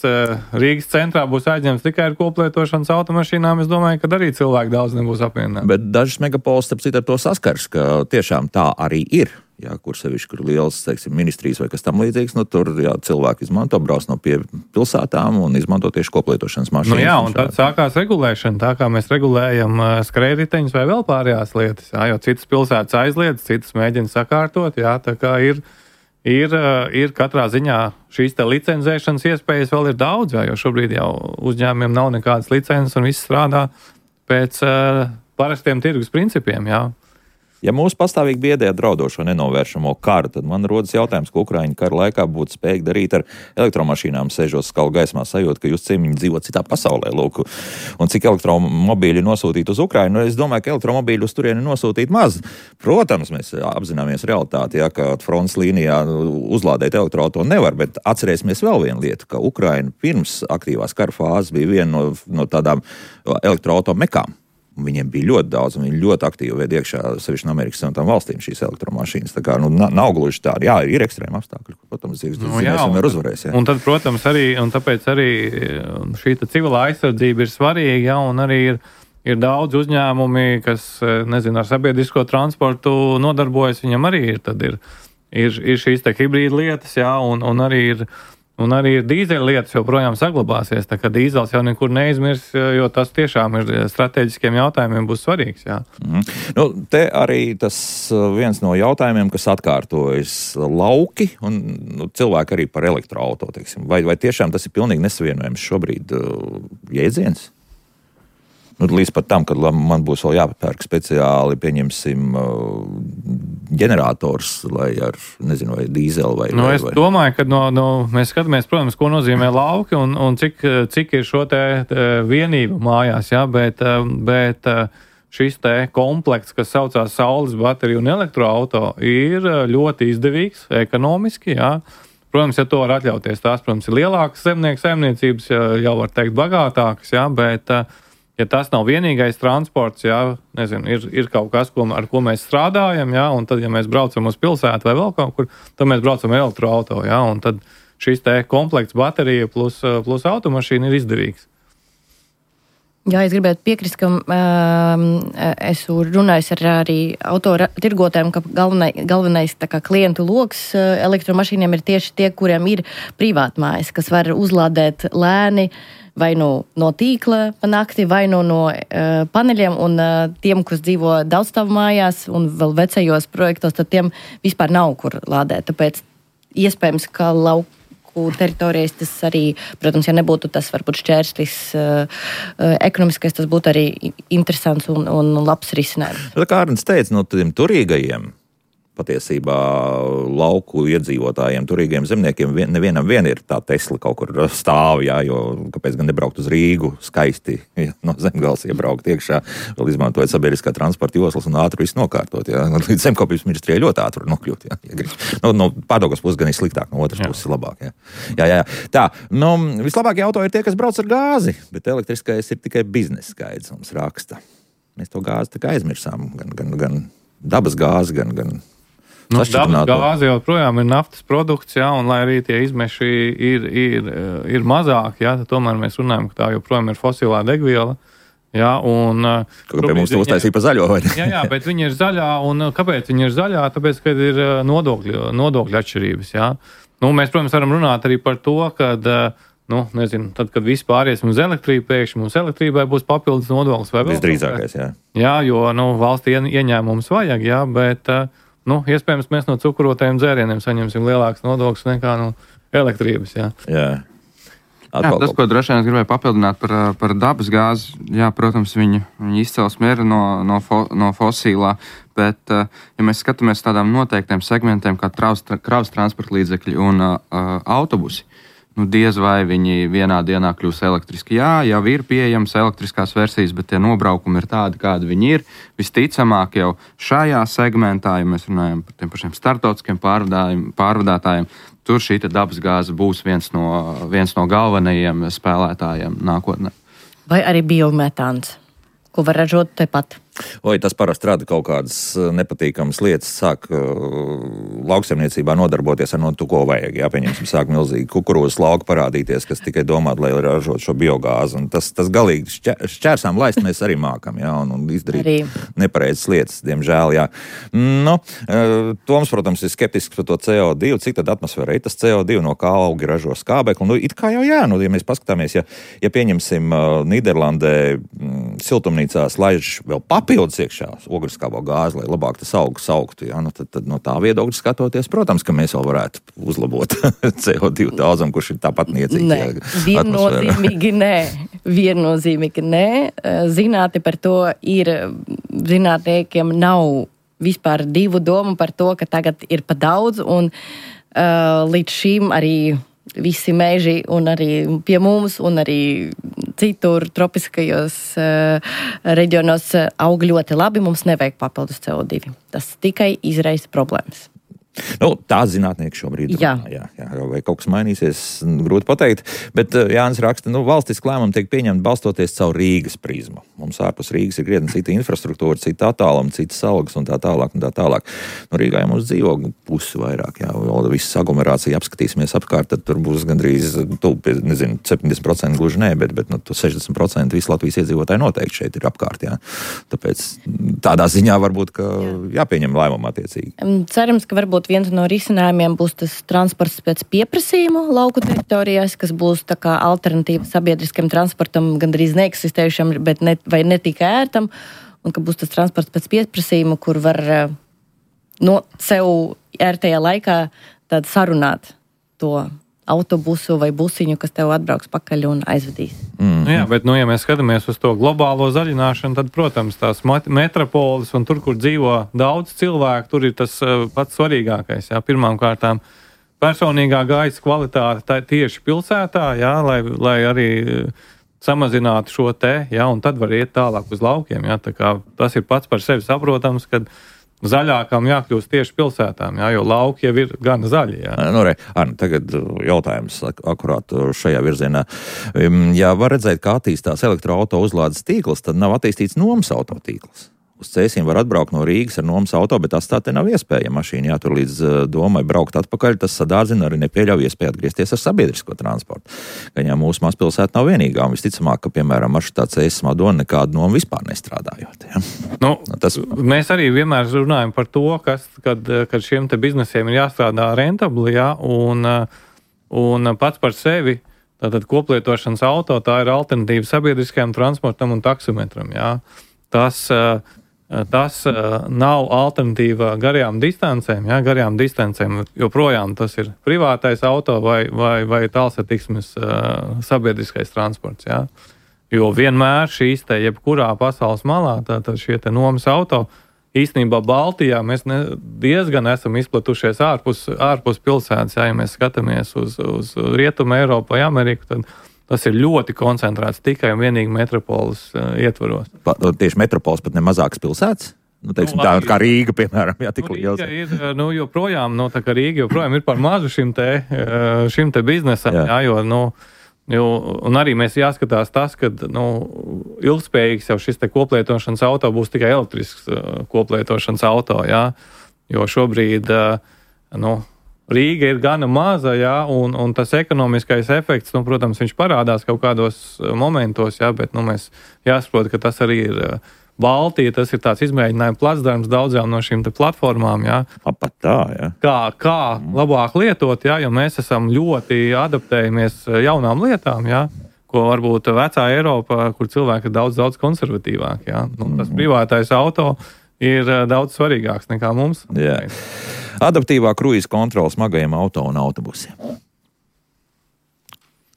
Rīgas centrā būs aizņemts tikai ar koplietošanas automašīnām, es domāju, ka arī cilvēki daudz nebūs apvienināti. Bet dažas megapols, starp citu, ar to saskars, ka tiešām tā arī ir. Jā, kur sevišķi, kur liels, teiksim, ministrijas vai kas tam līdzīgs, nu tur, jā, cilvēki izmanto, brauc no pie pilsētām un izmanto tieši koplietošanas mašīnas. Nu jā, un tad sākās regulēšana, tā kā mēs regulējam skrējriteņus vai vēl pārējās lietas, jā, jo citas pilsētas aizliedz, citas mēģina sakārtot, jā, tā kā ir, ir, ir katrā ziņā šīs te licenzēšanas iespējas vēl ir daudz, jā, jo šobrīd jau uzņēmumiem nav nekādas licences un viss strādā pēc uh, parastiem tirgus principiem, jā. Ja mūsu pastāvīgi biedē draudošo nenovēršamo karu, tad man rodas jautājums, ko Ukraiņu kara laikā būtu spējīgi darīt ar elektromašīnām, sēžot skalu gaismā, sajūt, ka jūs ciemiņi dzīvo citā pasaulē, lūk. Un cik elektromobīļi nosūtīt uz Ukrainu, nu, es domāju, ka elektromobīļi uz turieni nosūtīt maz. Protams, mēs apzināmies realitāti, ja, ka frontes līnijā uzlādēt elektroauto nevar, bet atcerēsimies vēl vienu lietu, ka Ukraina pirms aktīvās kara fāzes bija viena no, no tādām elektroauto mekām. Viņiem bija ļoti daudz, un viņi ļoti aktīvi veid iekšā sevišķi no Amerikas Savienotām valstīm šīs elektromašīnas. Tā kā, nu, nav gluži tādi. Jā, ir ekstrēmi apstākļi, ko, protams, dzīves nu, jā, un, uzvarēs. Jā. Un tad, protams, arī, un tāpēc arī šī civilā aizsardzība ir svarīga, jā, un arī ir ir daudz uzņēmumi, kas, nezinu, ar sabiedrisko transportu nodarbojas, viņam arī ir, tad ir, ir, ir šīs te hibrīda lietas, jā, un, un arī ir, un arī ir dīzeļa lietas joprojām saglabāsies, tā kā dīzels jau nekur neizmirs, jo tas tiešām ir strateģiskiem jautājumiem būs svarīgs, jā. Mm. Nu, te arī tas viens no jautājumiem, kas atkārtojas lauki, un nu, cilvēki arī par elektroauto, teiksim. Vai, vai tiešām tas ir pilnīgi nesavienojams šobrīd uh, jēdziens? Nu, līdz pat tam, kad man būs vēl jāpērk speciāli, pieņemsim, ģenerators, lai ar, nezinu, vai dīzeli vai... Nu, vai, es vai... domāju, ka no, no, mēs skatāmies, protams, ko nozīmē lauki un, un cik, cik ir šo te vienību mājās, jā, bet, bet šis te komplekts, kas saucās saules bateriju un elektroauto, ir ļoti izdevīgs, ekonomiski, jā. Protams, ja to var atļauties, tās, protams, ir lielākas zemnieku saimniecības, jau var teikt bagātākas, jā, bet... Ja tas nav vienīgais transports, jā, nezinu, ir, ir kaut kas, ko, ar ko mēs strādājam, jā, un tad, ja mēs braucam uz pilsētu vai vēl kaut kur, tad mēs braucam ar elektroauto, jā, un tad šis te komplekts baterija plus, plus automašīna ir izdevīgs. Jā, es gribētu piekrist, ka um, esmu runājis ar arī autotirgotājiem, ka galvenai, galvenais tā kā klientu loks elektromašīniem ir tieši tie, kuriem ir privātmājas, kas var uzlādēt lēni, vai nu no tīkla pa nakti, vai nu no uh, paneļiem, un uh, tiem, kas dzīvo daudzstāvu mājās un vēl vecajos projektos, tad tiem vispār nav kur lādēt. Tāpēc iespējams, ka lauku teritorijas tas arī, protams, ja nebūtu tas varbūt šķērslis uh, ekonomiskais, tas būtu arī interesants un, un labs risinājums. Kā Arnis teica, no tiem turīgajiem, patiesībā lauku iedzīvotājiem, turīgiem zemniekiem, vien, nevienam vien ir tā Tesla kaut kur stāv, jā, jo kāpēc gan nebraukt uz Rīgu skaisti, ja, no Zemgales iebraukt iekšā, vēl izmantojot sabiedriskā transporta joslas un ātri visu nokārtot, jā. Līdz Zemkopības ministrijai ļoti ātri nokļūt, jā, ja grib. No, no Pārdaugavas puses gan ir sliktāk, no otras puses ir labāk, jā. Jā, jā, jā. Tā, nu, vislabākie auto ir tie, kas brauc ar gāzi, bet elektriskais ir tikai biznesa skaidrs, mums raksta. Mēs to gāzi tā kā aizmirsām, gan, gan, gan dabas gāzi, gan, gan Nu, dabas gāze joprojām ir naftas produkts, jā, un lai arī tie izmeši ir, ir, ir mazāki, jā, tad tomēr mēs runājam, ka tā joprojām ir fosilā degviela. Jā, un... Kaut kā pie mums to uztaisīja pa zaļo, vai ne? Jā, jā, bet viņi ir zaļā, un kāpēc viņi ir zaļā? Tāpēc, kad ir nodokļu, nodokļu atšķirības, jā. Nu, mēs, protams, varam runāt arī par to, kad, nu, nezinu, tad, kad viss pāriesim uz elektrību, pēkšņi mums elektrībai būs papildus nodoklis vai vēl. Visdrīzākais, jā. Jā, jo, nu, valstī ieņēmums vajag, jā, bet... Nu, iespējams, mēs no cukurotajiem dzērieniem saņemsim lielāks nodoklis nekā no elektrības. Jā. Jā. Jā, tas, ko droši vien es gribēju papildināt par, par dabas gāzi, jā, protams, viņa, viņa izcelsme ir no, no, fo, no fosilā, bet, ja mēs skatāmies tādām noteiktiem segmentiem kā kravas transporta līdzekļi un uh, autobusi, nu, diez vai viņi vienā dienā kļūs elektriski. Jā, jau ir pieejamas elektriskās versijas, bet tie nobraukumi ir tādi, kādi viņi ir. Visticamāk jau šajā segmentā, ja mēs runājam par tiem pašiem startautiskiem pārvadātājiem, tur šī dabas gāze būs viens no, viens no galvenajiem spēlētājiem nākotnē. Vai arī biometāns, ko var ražot tepat? Oi, tas parasti rada kaut kādas nepatīkamas lietas, sāk uh, lauksaimniecībā nodarboties ar no to, ko vajag. Jā, pieņemsim, sāk milzīgi kukurūzas lauka parādīties, kas tikai domāt, lai ražot šo biogāzi. Un tas, tas galīgi šķēr, šķērsām laist mēs arī mākam, jā, un, un izdarīt arī nepareizas lietas, diemžēl, jā. Nu, uh, Toms, protams, ir skeptisks par to C O divi, cik tad atmosfērā ir tas C O divi, no kā augi ražo skābekli. Nu, it kā jau jā, nu, ja mēs paskatāmies, ja, ja pieņemsim uh, Nīderlandē mm, siltumnīcās laiž vēl papi, papildus iekšā ogriskābo gāzi, lai labāk tas augs augtu. Ja? Nu, tad, tad no tā viedokļa skatoties, protams, ka mēs vēl varētu uzlabot C O divi daudzam, kurš ir tāpat niecīgs. Nē, viennozīmīgi nē. Viennozīmīgi nē. Zinātni par to ir, zinātniekiem nav vispār divu domu par to, ka tagad ir pa daudz, un uh, līdz šim arī visi meži un arī pie mums un arī citur tropiskajos uh, reģionos aug ļoti labi. Mums nevajag papildus C O divi. Tas tikai izraisa problēmas. Nu, tā zinātnieki šobrīd jā. runā. Jā, jā, vai kaut kas mainīsies, grūti pateikt. Bet Jānis raksta, nu, valstiski lēmumi tiek pieņemti balstoties caur Rīgas prizmu. Mums ārpus Rīgas ir krietni cita infrastruktūra, cita attāluma, citas algas un tā tālāk un tā tālāk. Nu, Rīgā ja mums dzīvo pusi vairāk, jā, vēl visas aglomerācija apskatīsimies apkārt, tad tur būs gandrīz, tu, nezinu, septiņdesmit procenti gluži nē, bet, bet nu, sešdesmit procenti visu Latvijas iedzīvotāji noteikti šeit ir apkārt, jā. Tāpēc tādā ziņā varbūt, ka jāpieņem lēmumu attiecīgi. Cerams, ka varbūt viens no risinājumiem būs tas transports pēc pieprasījuma lauku teritorijās, kas būs tā kā alternatīva sabiedriskam transportam, gandrīz neeksistējušam, bet ne, vai ne tik ērtam, un ka būs tas transports pēc pieprasījuma, kur var no sev ērtajā laikā tad sarunāt to autobusu vai busiņu, kas tev atbrauks pakaļ un aizvedīs. Mm. Nu jā, bet, nu, ja mēs skatāmies uz to globālo zaļināšanu, tad, protams, tās metropoles un tur, kur dzīvo daudz cilvēku, tur ir tas uh, pats svarīgākais. Jā. Pirmām kārtām personīgā gaisa kvalitāte tā, tieši pilsētā, jā, lai, lai arī samazinātu šo te, jā, un tad var iet tālāk uz laukiem. Jā. Tā kā tas ir pats par sevi saprotams, kad zaļākām jākļūst tieši pilsētām, jā, jo lauki jau ir gan zaļi. Jā. Nu, re, Arni, tagad jautājums akurāt šajā virzienā. Ja var redzēt, kā attīstās elektroauto uzlādes tīkls, tad nav attīstīts nomas auto tīkls. Uz Cēsīm var atbraukt no Rīgas ar nomas auto, bet tas tā te nav iespēja. Mašīna jātur līdz domai braukt atpakaļ, tas sadārdzina arī nepieļauj iespēju atgriezties ar sabiedrisko transportu. Gan jau mūsu mazpilsēta nav vienīgā, un visticamāk, ka, piemēram, maršrutā Cēsis Madona nekādu nomu vispār nestrādājot. Ja? Nu, tas... Mēs arī vienmēr runājam par to, kas, kad, kad šiem te biznesiem ir jāstrādā rentabli, ja? un, un pats par sevi, tātad koplietošanas auto, tā ir alternatīva sabiedriskajam transportam un taksometram. Ja? Tas... Tas uh, nav alternatīva garajām distancēm, ja, garajām distancēm, joprojām tas ir privātais auto vai, vai, vai tālsatiksmes uh, sabiedriskais transports, ja. Jo vienmēr šīs te jebkurā pasaules malā, tātad šie te nomas auto, īstenībā Baltijā mēs ne, diezgan esam izplatušies ārpus, ārpus pilsētas, ja, ja mēs skatāmies uz, uz Rietumu Eiropu vai Ameriku, tad tas ir ļoti koncentrēts tikai un vienīgi metropoles uh, ietvaros. Pa, tieši metropoles pat ne mazākas pilsētas? Nu, teiksim, nu, tā kā Rīga, piemēram, jā, tik nu, liels. Rīga ir, nu, joprojām, nu, tā kā Rīga joprojām ir par mazu šim te, šim te biznesam, jā. Jā, jo, nu, jo, un arī mēs jāskatās tas, ka, nu, ilgspējīgs jau šis te koplietošanas auto būs tikai elektrisks uh, koplietošanas auto, jā, jo šobrīd, uh, nu, Rīga ir gana maza, jā, un, un tas ekonomiskais efekts, nu, protams, viņš parādās kaut kādos momentos, jā, bet, nu, mēs jāsaprot, ka tas arī ir Baltija, tas ir tāds izmēģinājuma placdarms daudzām no šīm te platformām, jā. Pat tā, jā. Kā, kā labāk lietot, jā, jo mēs esam ļoti adaptējamies jaunām lietām, jā, ko varbūt vecā Eiropa, kur cilvēki ir daudz, daudz konservatīvāk, jā. Nu, tas privātais auto ir daudz svarīgāks nekā mums. Jā. Adaptīvā kruīza kontrola smagajiem auto un autobusiem.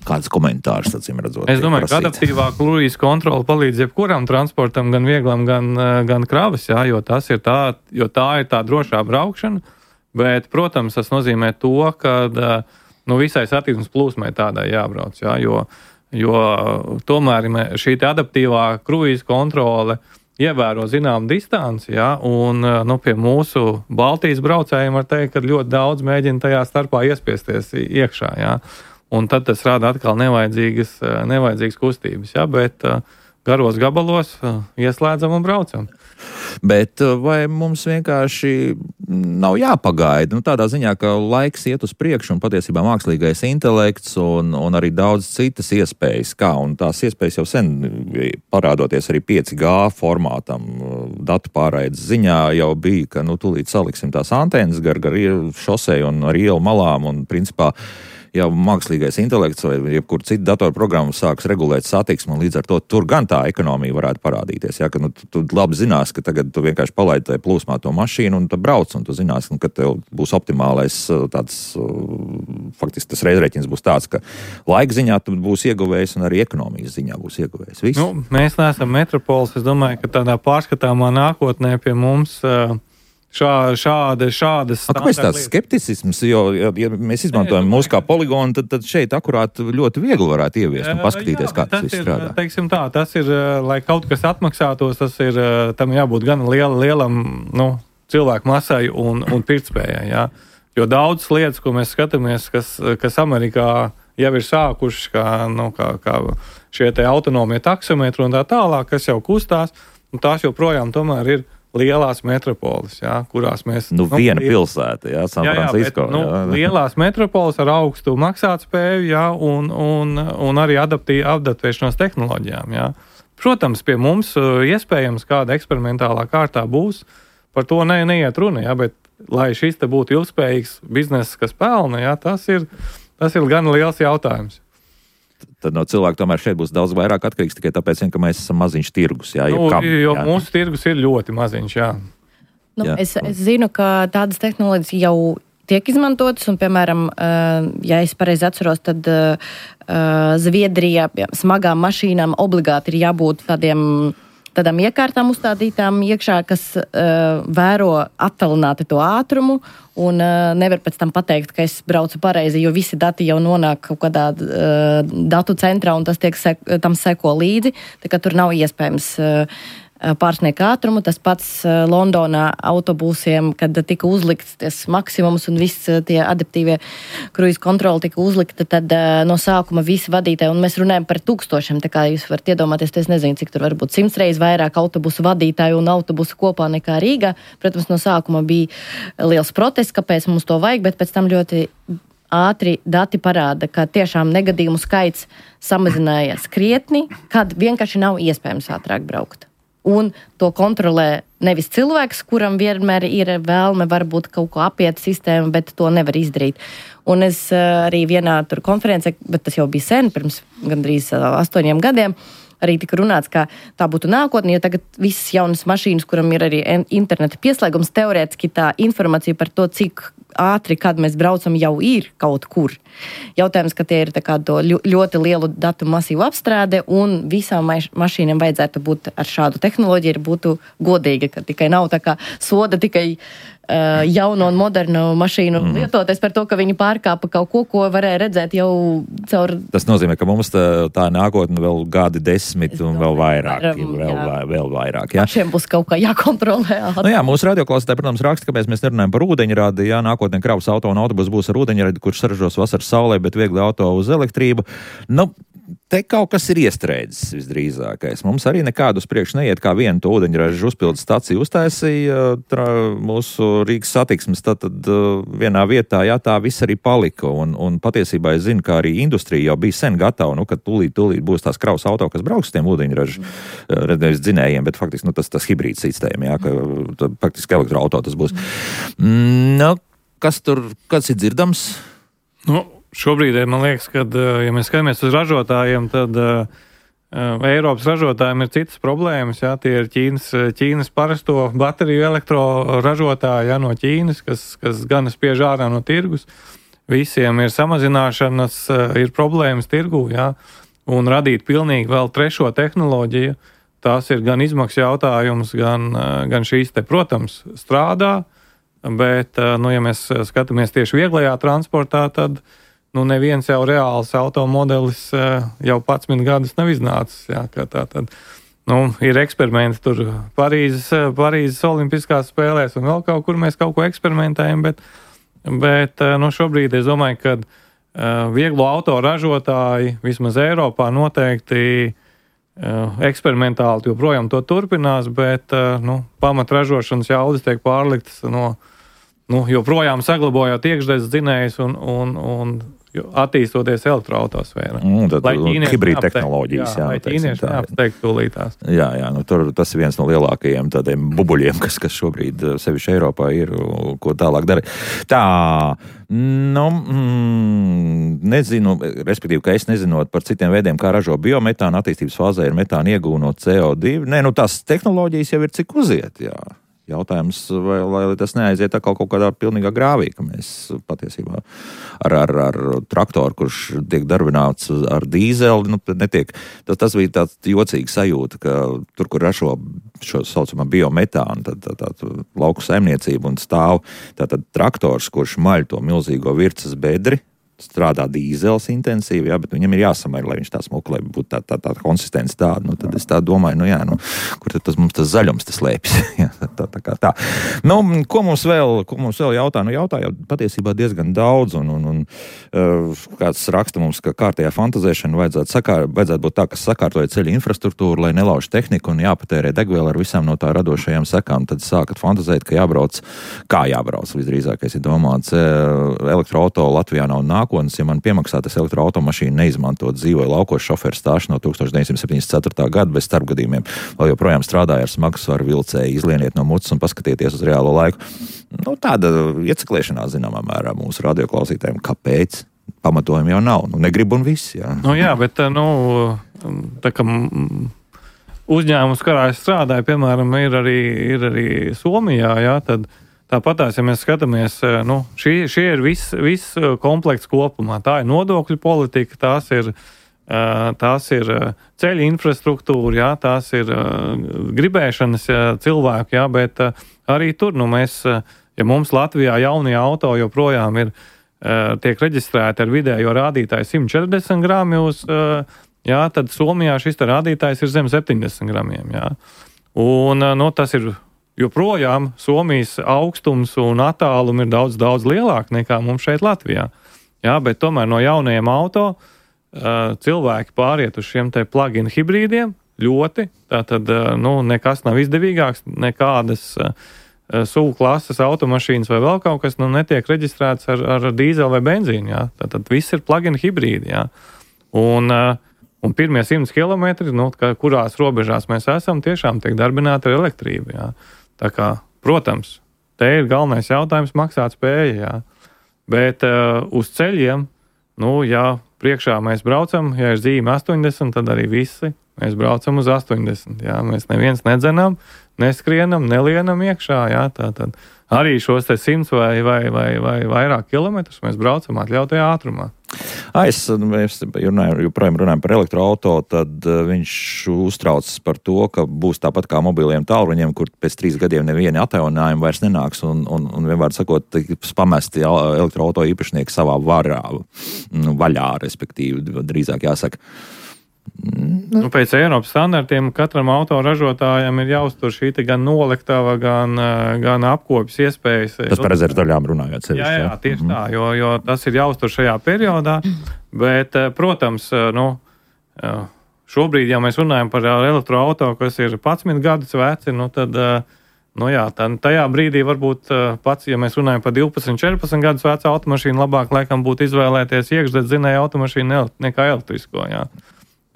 Kāds komentārs, acīm redzot? Es domāju, ka adaptīvā kruīza kontrola palīdz jebkuram transportam, gan vieglam, gan, gan kravas, jā, jo, tas ir tā, jo tā ir tā drošā braukšana, bet, protams, tas nozīmē to, ka nu, visai satiksmes plūsmai tādai jābrauc, jā, jo, jo tomēr šī adaptīvā kruīza kontrole ievēro zinām distanci, ja, un nu, pie mūsu Baltijas braucējiem var teikt, ka ļoti daudz mēģina tajā starpā iespiesties iekšā, ja, un tad tas rada atkal nevajadzīgas, nevajadzīgas kustības, ja, bet garos gabalos ieslēdzam un braucam. Bet vai mums vienkārši nav jāpagaida? Nu, tādā ziņā, ka laiks iet uz priekšu un patiesībā mākslīgais intelekts un, un arī daudz citas iespējas, kā, un tās iespējas jau sen parādoties arī pieci G formātam, datu pārraides ziņā jau bija, ka, nu, tūlīt saliksim tās antenas gar, gar šoseju un ar ielu malām un principā jau mākslīgais intelekts vai jebkur citu datorprogrammu sāks regulēt satiksmi, un līdz ar to tur gan tā ekonomija varētu parādīties. Ja, ka, nu, tu, tu labi zinās, ka tagad tu vienkārši palaidi tajā plūsmā to mašīnu un tu brauc, un tu zinās, ka tev būs optimālais tāds, faktiski tas reizreķins būs tāds, ka laika ziņā tu būs ieguvējis un arī ekonomijas ziņā būs ieguvējis. Viss. Nu, mēs neesam metropols, es domāju, ka tādā pārskatāmā nākotnē pie mums uh, Šā, šāda, šādas A, kāpēc tāds skepticisms, jo, ja, ja mēs izmantojam mūsu kā poligonu, tad, tad šeit akurāt ļoti viegli varētu ieviest un paskatīties, jā, kā tas viss strādā. Teiksim tā, tas ir, lai kaut kas atmaksātos, tas ir, tam jābūt gan liela, lielam, nu, cilvēku masai un, un pirktspējai, jā. Jo daudz lietas, ko mēs skatāmies, kas, kas Amerikā jau ir sākuši, kā, nu, kā, kā šie te autonomie taksometri un tā tālāk, kas jau kustās, un tās joprojām tomēr ir lielās metropoles, jā, kurās mēs... Nu, nu viena pilsēta, jā, San Francisco. Jā, jā, bet, nu, lielās metropoles ar augstu maksātspēju, jā, un, un, un arī adaptī, adaptēšanos tehnoloģijām, jā. Protams, pie mums iespējams kāda eksperimentālā kārtā būs, par to ne, neiet runa, jā, bet lai šis te būtu ilgspējīgs bizness, kas pelna, jā, tas ir, tas ir gan liels jautājums. Tad no cilvēka tomēr šeit būs daudz vairāk atkarīgs tikai tāpēc, ka mēs esam maziņš tirgus. Jā, nu, kam, jo jā. Mūsu tirgus ir ļoti maziņš, jā. Nu, jā. Es, es zinu, ka tādas tehnoloģijas jau tiek izmantotas, un, piemēram, ja es pareizi atceros, tad Zviedrijā smagām mašīnām obligāti ir jābūt tādiem tādām iekārtām uzstādītām iekšā, kas uh, vēro attālināti to ātrumu un uh, nevar pēc tam pateikt, ka es braucu pareizi, jo visi dati jau nonāk kaut kādā uh, datu centrā un tas tiek sek, tam seko līdzi, tā kā tur nav iespējams uh, pārsniegt ātrumu. Tas pats uh, Londonā autobusiem, kad tika uzlikts ties maksimums un viss uh, tie adaptīvie kruīz kontroli tika uzlikta, tad uh, no sākuma visi vadītāji, un mēs runājam par tūkstošiem, tā kā jūs varat iedomāties, es nezinu, cik tur varbūt simts reizes vairāk autobusu vadītāju un autobusu kopā nekā Rīgā. Protams, no sākuma bija liels protests, kāpēc mums to vajag, bet pēc tam ļoti ātri dati parāda, ka tiešām negadījumu skaits samazinājās krietni, kad vienkārši nav iespējams ātrāk braukt. Un to kontrolē nevis cilvēks, kuram vienmēr ir vēlme varbūt kaut ko apiet sistēmu, bet to nevar izdarīt. Un es arī vienā tur konferencē, bet tas jau bija sen, pirms gandrīz astoņiem gadiem, arī tika runāts, ka tā būtu nākotne, jo tagad visas jaunas mašīnas, kuram ir arī interneta pieslēgums, teorētiski tā informācija par to, cik ātri, kad mēs braucam, jau ir kaut kur. Jautājums, ka tie ir tā kā to ļoti lielu datu masīvu apstrāde, un visām mašīnām vajadzētu būt ar šādu tehnoloģiju, ir būtu godīgi, ka tikai nav tā kā soda tikai uh, jauno un modernu mašīnu mm. lietoties par to, ka viņi pārkāpa kaut ko, ko varēja redzēt jau caur... Tas nozīmē, ka mums tā, tā nākotne vēl gadi desmit un vēl vairāk. Varam, vēl, jā. vēl vairāk, jā. Šiem būs kaut kā jākontrolē. Nu jā, mūsu radioklausītāji, protams, raksta, kāpēc mēs nerunājam par ūdeņradi, jā, nākotnē kravas auto un autobus būs ar ūdeņradi, kurš saražos vasaras saulē, bet viegli auto uz elektrību. Nu, te kaut kas ir iestrēdzis visdrīzākais. Mums arī nekādu uz priekšu neiet, kā vienu to ūdeņražu uzpildes staciju uztaisīja tra, mūsu Rīgas satiksmes, tad, tad vienā vietā, jā, tā viss arī palika. Un, un patiesībā es zinu, ka arī industrija jau bija sen gatava, nu, ka tūlīt, tūlīt būs tās kravas auto, kas brauks tiem ūdeņražu nevis dzinējiem, bet faktiski, nu, tas, tas hibrīds sistēma, jā, ka faktiski elektroauto tas būs. Mm, nu, kas tur, kas ir dzirdams? Nu, šobrīd, man liekas, ka, ja mēs skatāmies uz ražotājiem, tad uh, Eiropas ražotājiem ir citas problēmas. Jā, tie ir Ķīnas, Ķīnas parasto bateriju elektroražotāji, jā, no Ķīnas, kas, kas gan spiež ārā no tirgus. Visiem ir samazināšanas, ir problēmas tirgū, jā, un radīt pilnīgi vēl trešo tehnoloģiju. Tas ir gan izmaksu jautājums, gan, gan šīs te, protams, strādā. Bet, nu, ja mēs skatāmies tieši vieglajā transportā, tad nu, neviens jau reāls automodelis jau padsmit gadus nav iznācis. Jā, kā tā tad. Nu, ir eksperimenti tur Parīzes, Parīzes olimpiskās spēlēs un vēl kaut kur mēs kaut ko eksperimentējam, bet, bet nu, šobrīd es domāju, ka vieglo auto ražotāji vismaz Eiropā noteikti eksperimentāli joprojām to turpinās, bet nu, pamatražošanas jaudas tiek pārliktas no Nu, joprojām saglabājot iekšzemes dzinējus un, un, un attīstoties elektroautosfērā. Mm, tad hibrīda tehnoloģijas, jā. jā lai ķīnieši neapsteigtu tūlītās. Jā, jā, nu tur tas ir viens no lielākajiem tādiem bubuļiem, kas, kas šobrīd sevišķi Eiropā ir, ko tālāk dara. Tā, nu, mm, nezinu, respektīvi, ka es nezinot par citiem veidiem, kā ražo biometānu, attīstības fāzē ir metāna iegūna no C O divi. Nē, nu tās tehnoloģijas jau ir cik uziet, jā. Jautājums, vai, lai tas neaiziet atkal kaut kādā pilnīgā grāvī, ka mēs patiesībā ar, ar, ar traktoru, kurš tiek darbināts ar dīzeli, nu, netiek. Tas, tas bija tāds jocīgs sajūta, ka tur, kur ražo šo saucamā biometānu, tad tā, tā, tā lauku saimniecība un stāv tātad traktors, kurš maļ to milzīgo virces bedri, strādā dīzels intensīvi, jā, bet viņam ir jāsamēr, lai viņš tā smuka, lai būtu tā, tā, tā konsistence tāda. Nu, tad es tā domāju, nu jā, nu, kur tad tas mums tas zaļums tas lēpjas? jā, tā, tā kā tā. Nu, ko mums vēl, ko mums vēl jautā? Nu, jautā jau patiesībā diezgan daudz, un, un, un uh, kāds raksta mums, ka kārtējā fantazēšana vajadzētu, sakār, vajadzētu būt tā, kas sakārtoja ceļu infrastruktūru, lai nelauž tehniku un jāpatērē degviela ar visām no tā radošajām sekām. Tad sākat fantazēt, ka jābrauc, kā jābrauc, visdrīzākais ir domāts. Elektroauto Latvijā nav nākotnes, ja man piemaksā tas elektroautomašīnu neizmantot, dzīvoja laukos šoferu stāšu no tukstovš deviņsimt septiņdesmit ceturtā gada bez starpgadījumiem. Vēl joprojām strādāja ar smagsvaru vilcēju, izlieniet no mutes un paskatieties uz reālo laiku. Nu, tāda ieceklēšanās zināmā mērā mūsu radioklausītājiem. Kāpēc? Pamatojumi jau nav. Nu, negrib un viss, jā. Nu jā, bet, nu, tā kā uzņēmums, kurā es strādāju, piemēram, ir arī, ir arī Somijā, jā, tad tāpatās, ja mēs skatāmies, nu, šī, šī ir viss vis komplekts kopumā. Tā ir nodokļu politika, tās ir, tās ir ceļa infrastruktūra, jā, tās ir gribēšanas cilvēku, jā, bet arī tur, nu, mēs, ja mums Latvijā jaunie auto joprojām ir, tiek reģistrēti ar vidējo rādītāju simt četrdesmit grami uz, jā, tad Somijā šis rādītājs ir zem septiņdesmit gramiem, jā. Un, nu, tas ir joprojām Somijas augstums un attālumi ir daudz, daudz lielāki nekā mums šeit Latvijā. Jā, bet tomēr no jaunajiem auto uh, cilvēki pāriet uz šiem te plug-in hibrīdiem ļoti. Tātad, uh, nu, nekas nav izdevīgāks, nekādas uh, suvu klases automašīnas vai vēl kaut kas, nu, netiek reģistrēts ar, ar dīzeli vai benzīnu, jā. Tātad viss ir plug-in hibrīdi, jā. Un, uh, un pirmie simts kilometri, nu, kurās robežās mēs esam, tiešām tiek darbināti ar elektrību, jā. Tā kā, protams, te ir galvenais jautājums maksāt spēja, jā. Bet uh, uz ceļiem, nu, ja priekšā mēs braucam, ja ir zīme astoņdesmit, tad arī visi mēs braucam uz astoņdesmit, jā. Mēs neviens nedzenam, neskrienam, nelienam iekšā, jā. Tātad arī šos te simts vai, vai, vai, vai vairāk kilometrus mēs braucam atļautajā ātrumā. Ah, es, mēs runājam, joprojām runājam par elektroauto, tad viņš uztraucas par to, ka būs tāpat kā mobiliem tālruņiem, kur pēc trīs gadiem nevieni atjaunājumi vairs nenāks un, un, un vienmēr sakot, pamesti elektroauto īpašnieki savā varā, vaļā, respektīvi, drīzāk jāsaka. Nu, pēc Eiropas standartiem katram autoražotājam ir jāuztur šī gan noliktava, gan, gan apkopes iespējas. Tas par rezervdaļām runājot sevišķi. Jā, jā, tieši tā, jo, jo tas ir jāuztur šajā periodā, bet, protams, nu, šobrīd, ja mēs runājam par elektroauto, kas ir padsmit gadus veci, nu, tad, nu jā, tad tajā brīdī varbūt pats, ja mēs runājam par divpadsmit, četrpadsmit gadus vecu automašīnu, labāk laikam būtu izvēlēties iekšdedzinēju automašīnu nekā elektrisko, jā.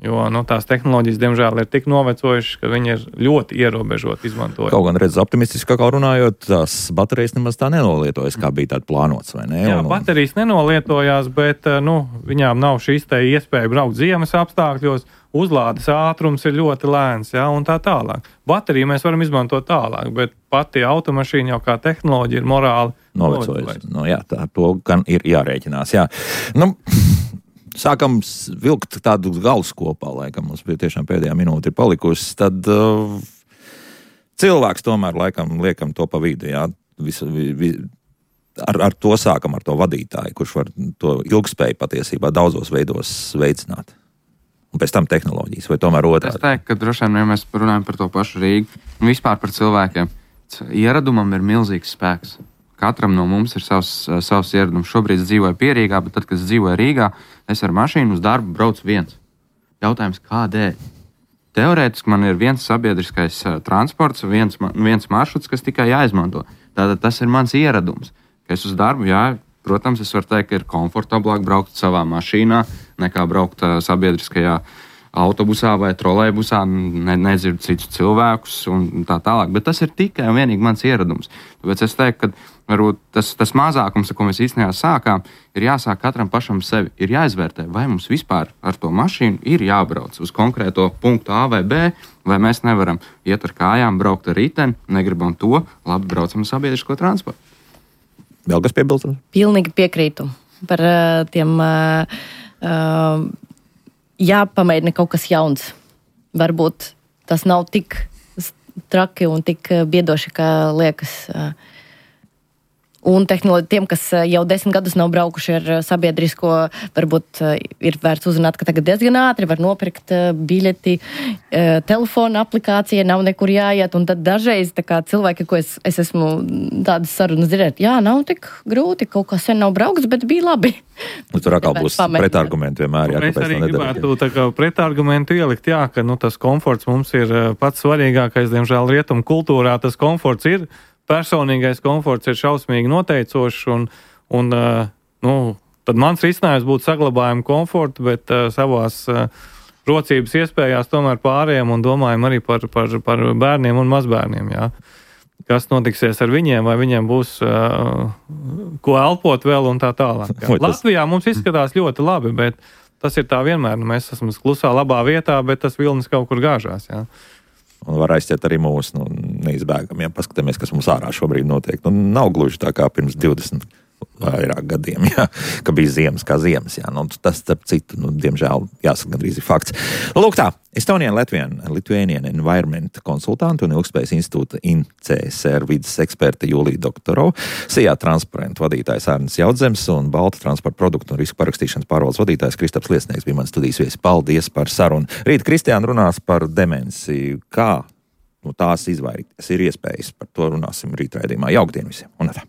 Jo nu, tās tehnoloģijas, diemžēl, ir tik novecojušas, ka viņi ir ļoti ierobežoti izmantojami. Kaut gan redz optimistiski, kā runājot, tās baterijas nemaz tā nenolietojas, kā bija tāda plānots, vai ne? Jā, un, un... baterijas nenolietojās, bet nu, viņām nav šīs te iespēja braukt ziemas apstākļos, uzlādes ātrums ir ļoti lēns, jā, un tā tālāk. Bateriju mēs varam izmantot tālāk, bet pati automašīna jau kā tehnoloģija ir morāli novecojusi. Nu, jā, tā to gan ir jārēķinās, jā. Nu, sākam vilkt tādu galus kopā, laikam mums bija tiešām pēdējā minūte ir palikusi, tad uh, cilvēks tomēr laikam liekam to pa vidu, jā, visu, vi, vi, ar, ar to sākam, ar to vadītāju, kurš var to ilgspēju patiesībā daudzos veidos veicināt. Un pēc tam tehnoloģijas, vai tomēr otrādi? Es teiktu, ka droši vien, ja mēs runājam par to pašu Rīgu, un vispār par cilvēkiem, ieradumam ir milzīgs spēks. Katram no mums ir savs, savs ieradums. Šobrīd es dzīvoju Pierīgā, bet tad, kad es dzīvoju Rīgā, es ar mašīnu uz darbu braucu viens. Jautājums, kādēļ? Teorētiski man ir viens sabiedriskais uh, transports, viens, viens maršruts, kas tikai jāizmanto. Tātad tas ir mans ieradums. Kad es uz darbu, jā, protams, es varu teikt, ka ir komfortablāk braukt savā mašīnā, nekā braukt uh, sabiedriskajā autobusā vai trolejbusā, ne, nedzirdu citus cilvēkus un tā tālāk. Bet tas ir tikai un vienīgi mans ieradums. Tāpēc es teiktu, ka varbūt tas, tas mazākums, ko mēs īstenībā sākām, ir jāsāk katram pašam sevi. Ir jāizvērtē, vai mums vispār ar to mašīnu ir jābrauc uz konkrēto punktu A vai B, vai mēs nevaram iet ar kājām, braukt ar riteni, negribam to, labi, braucam ar sabiedrisko transportu. Vēl kas piebilstams? Pilnīgi piekrītu par uh, tiem... Uh, uh, jāpamēģina kaut kas jauns. Varbūt tas nav tik traki un tik biedoši, kā liekas. Un tehnoloģi, tiem, kas jau desmit gadus nav braukuši ar sabiedrisko, varbūt ir vērts uzzināt, ka tagad diezgan ātri var nopirkt biļeti, telefona aplikācija, nav nekur jāiet, un tad dažreiz tā kā cilvēki, ko es, es esmu tādas sarunas dzirdēt, jā, nav tik grūti, kaut kā sen nav brauks, bet bija labi. Nu, tur atkal būs pretargumenti vienmēr. Jā, es arī gribētu tā kā pretargumentu ielikt, jā, ka nu, tas komforts mums ir pats svarīgākais, diemžēl rietumu kultūrā tas komforts ir. Personīgais komforts ir šausmīgi noteicošs, un, un nu, tad mans risinājums būtu saglabājuma komfortu, bet uh, savās uh, rocības iespējās tomēr pārējiem un domājam arī par, par, par bērniem un mazbērniem. Jā. Kas notiksies ar viņiem, vai viņiem būs uh, ko elpot vēl un tā tālāk. Jā. Latvijā mums izskatās ļoti labi, bet tas ir tā vienmēr. Nu, mēs esam klusā labā vietā, bet tas vilnis kaut kur gāžās. Jā. Un var aizciet arī mūsu nu, neizbēgamiem. Paskatāmies, kas mums ārā šobrīd notiek. Nu, nav gluži tā kā pirms divdesmit vairāk gadiem, jā, ka bija ziemas kā ziemas. Jā. Nu, tas, starp citu, nu, diemžēl, jāsaka, gandrīz ir fakts. Lūk tā, Estonian Latvian, Lithuanian Environment konsultantu un Ilgtspējas institūta I N C S R vidas eksperte Julija Doktorova, Sijā transparentu vadītājs Ārnis Jaudzems un Balta transporta produktu un risku parakstīšanas pārvaldes vadītājs Kristaps Liesnieks bija mans studijas viesis. Paldies par sarunu. Rīt Kristiāna runās par demenci. Kā nu, tās izvairīties ir iespējas. Par to runāsim rīt raidījumā. Jauktdien visiem. Un tā.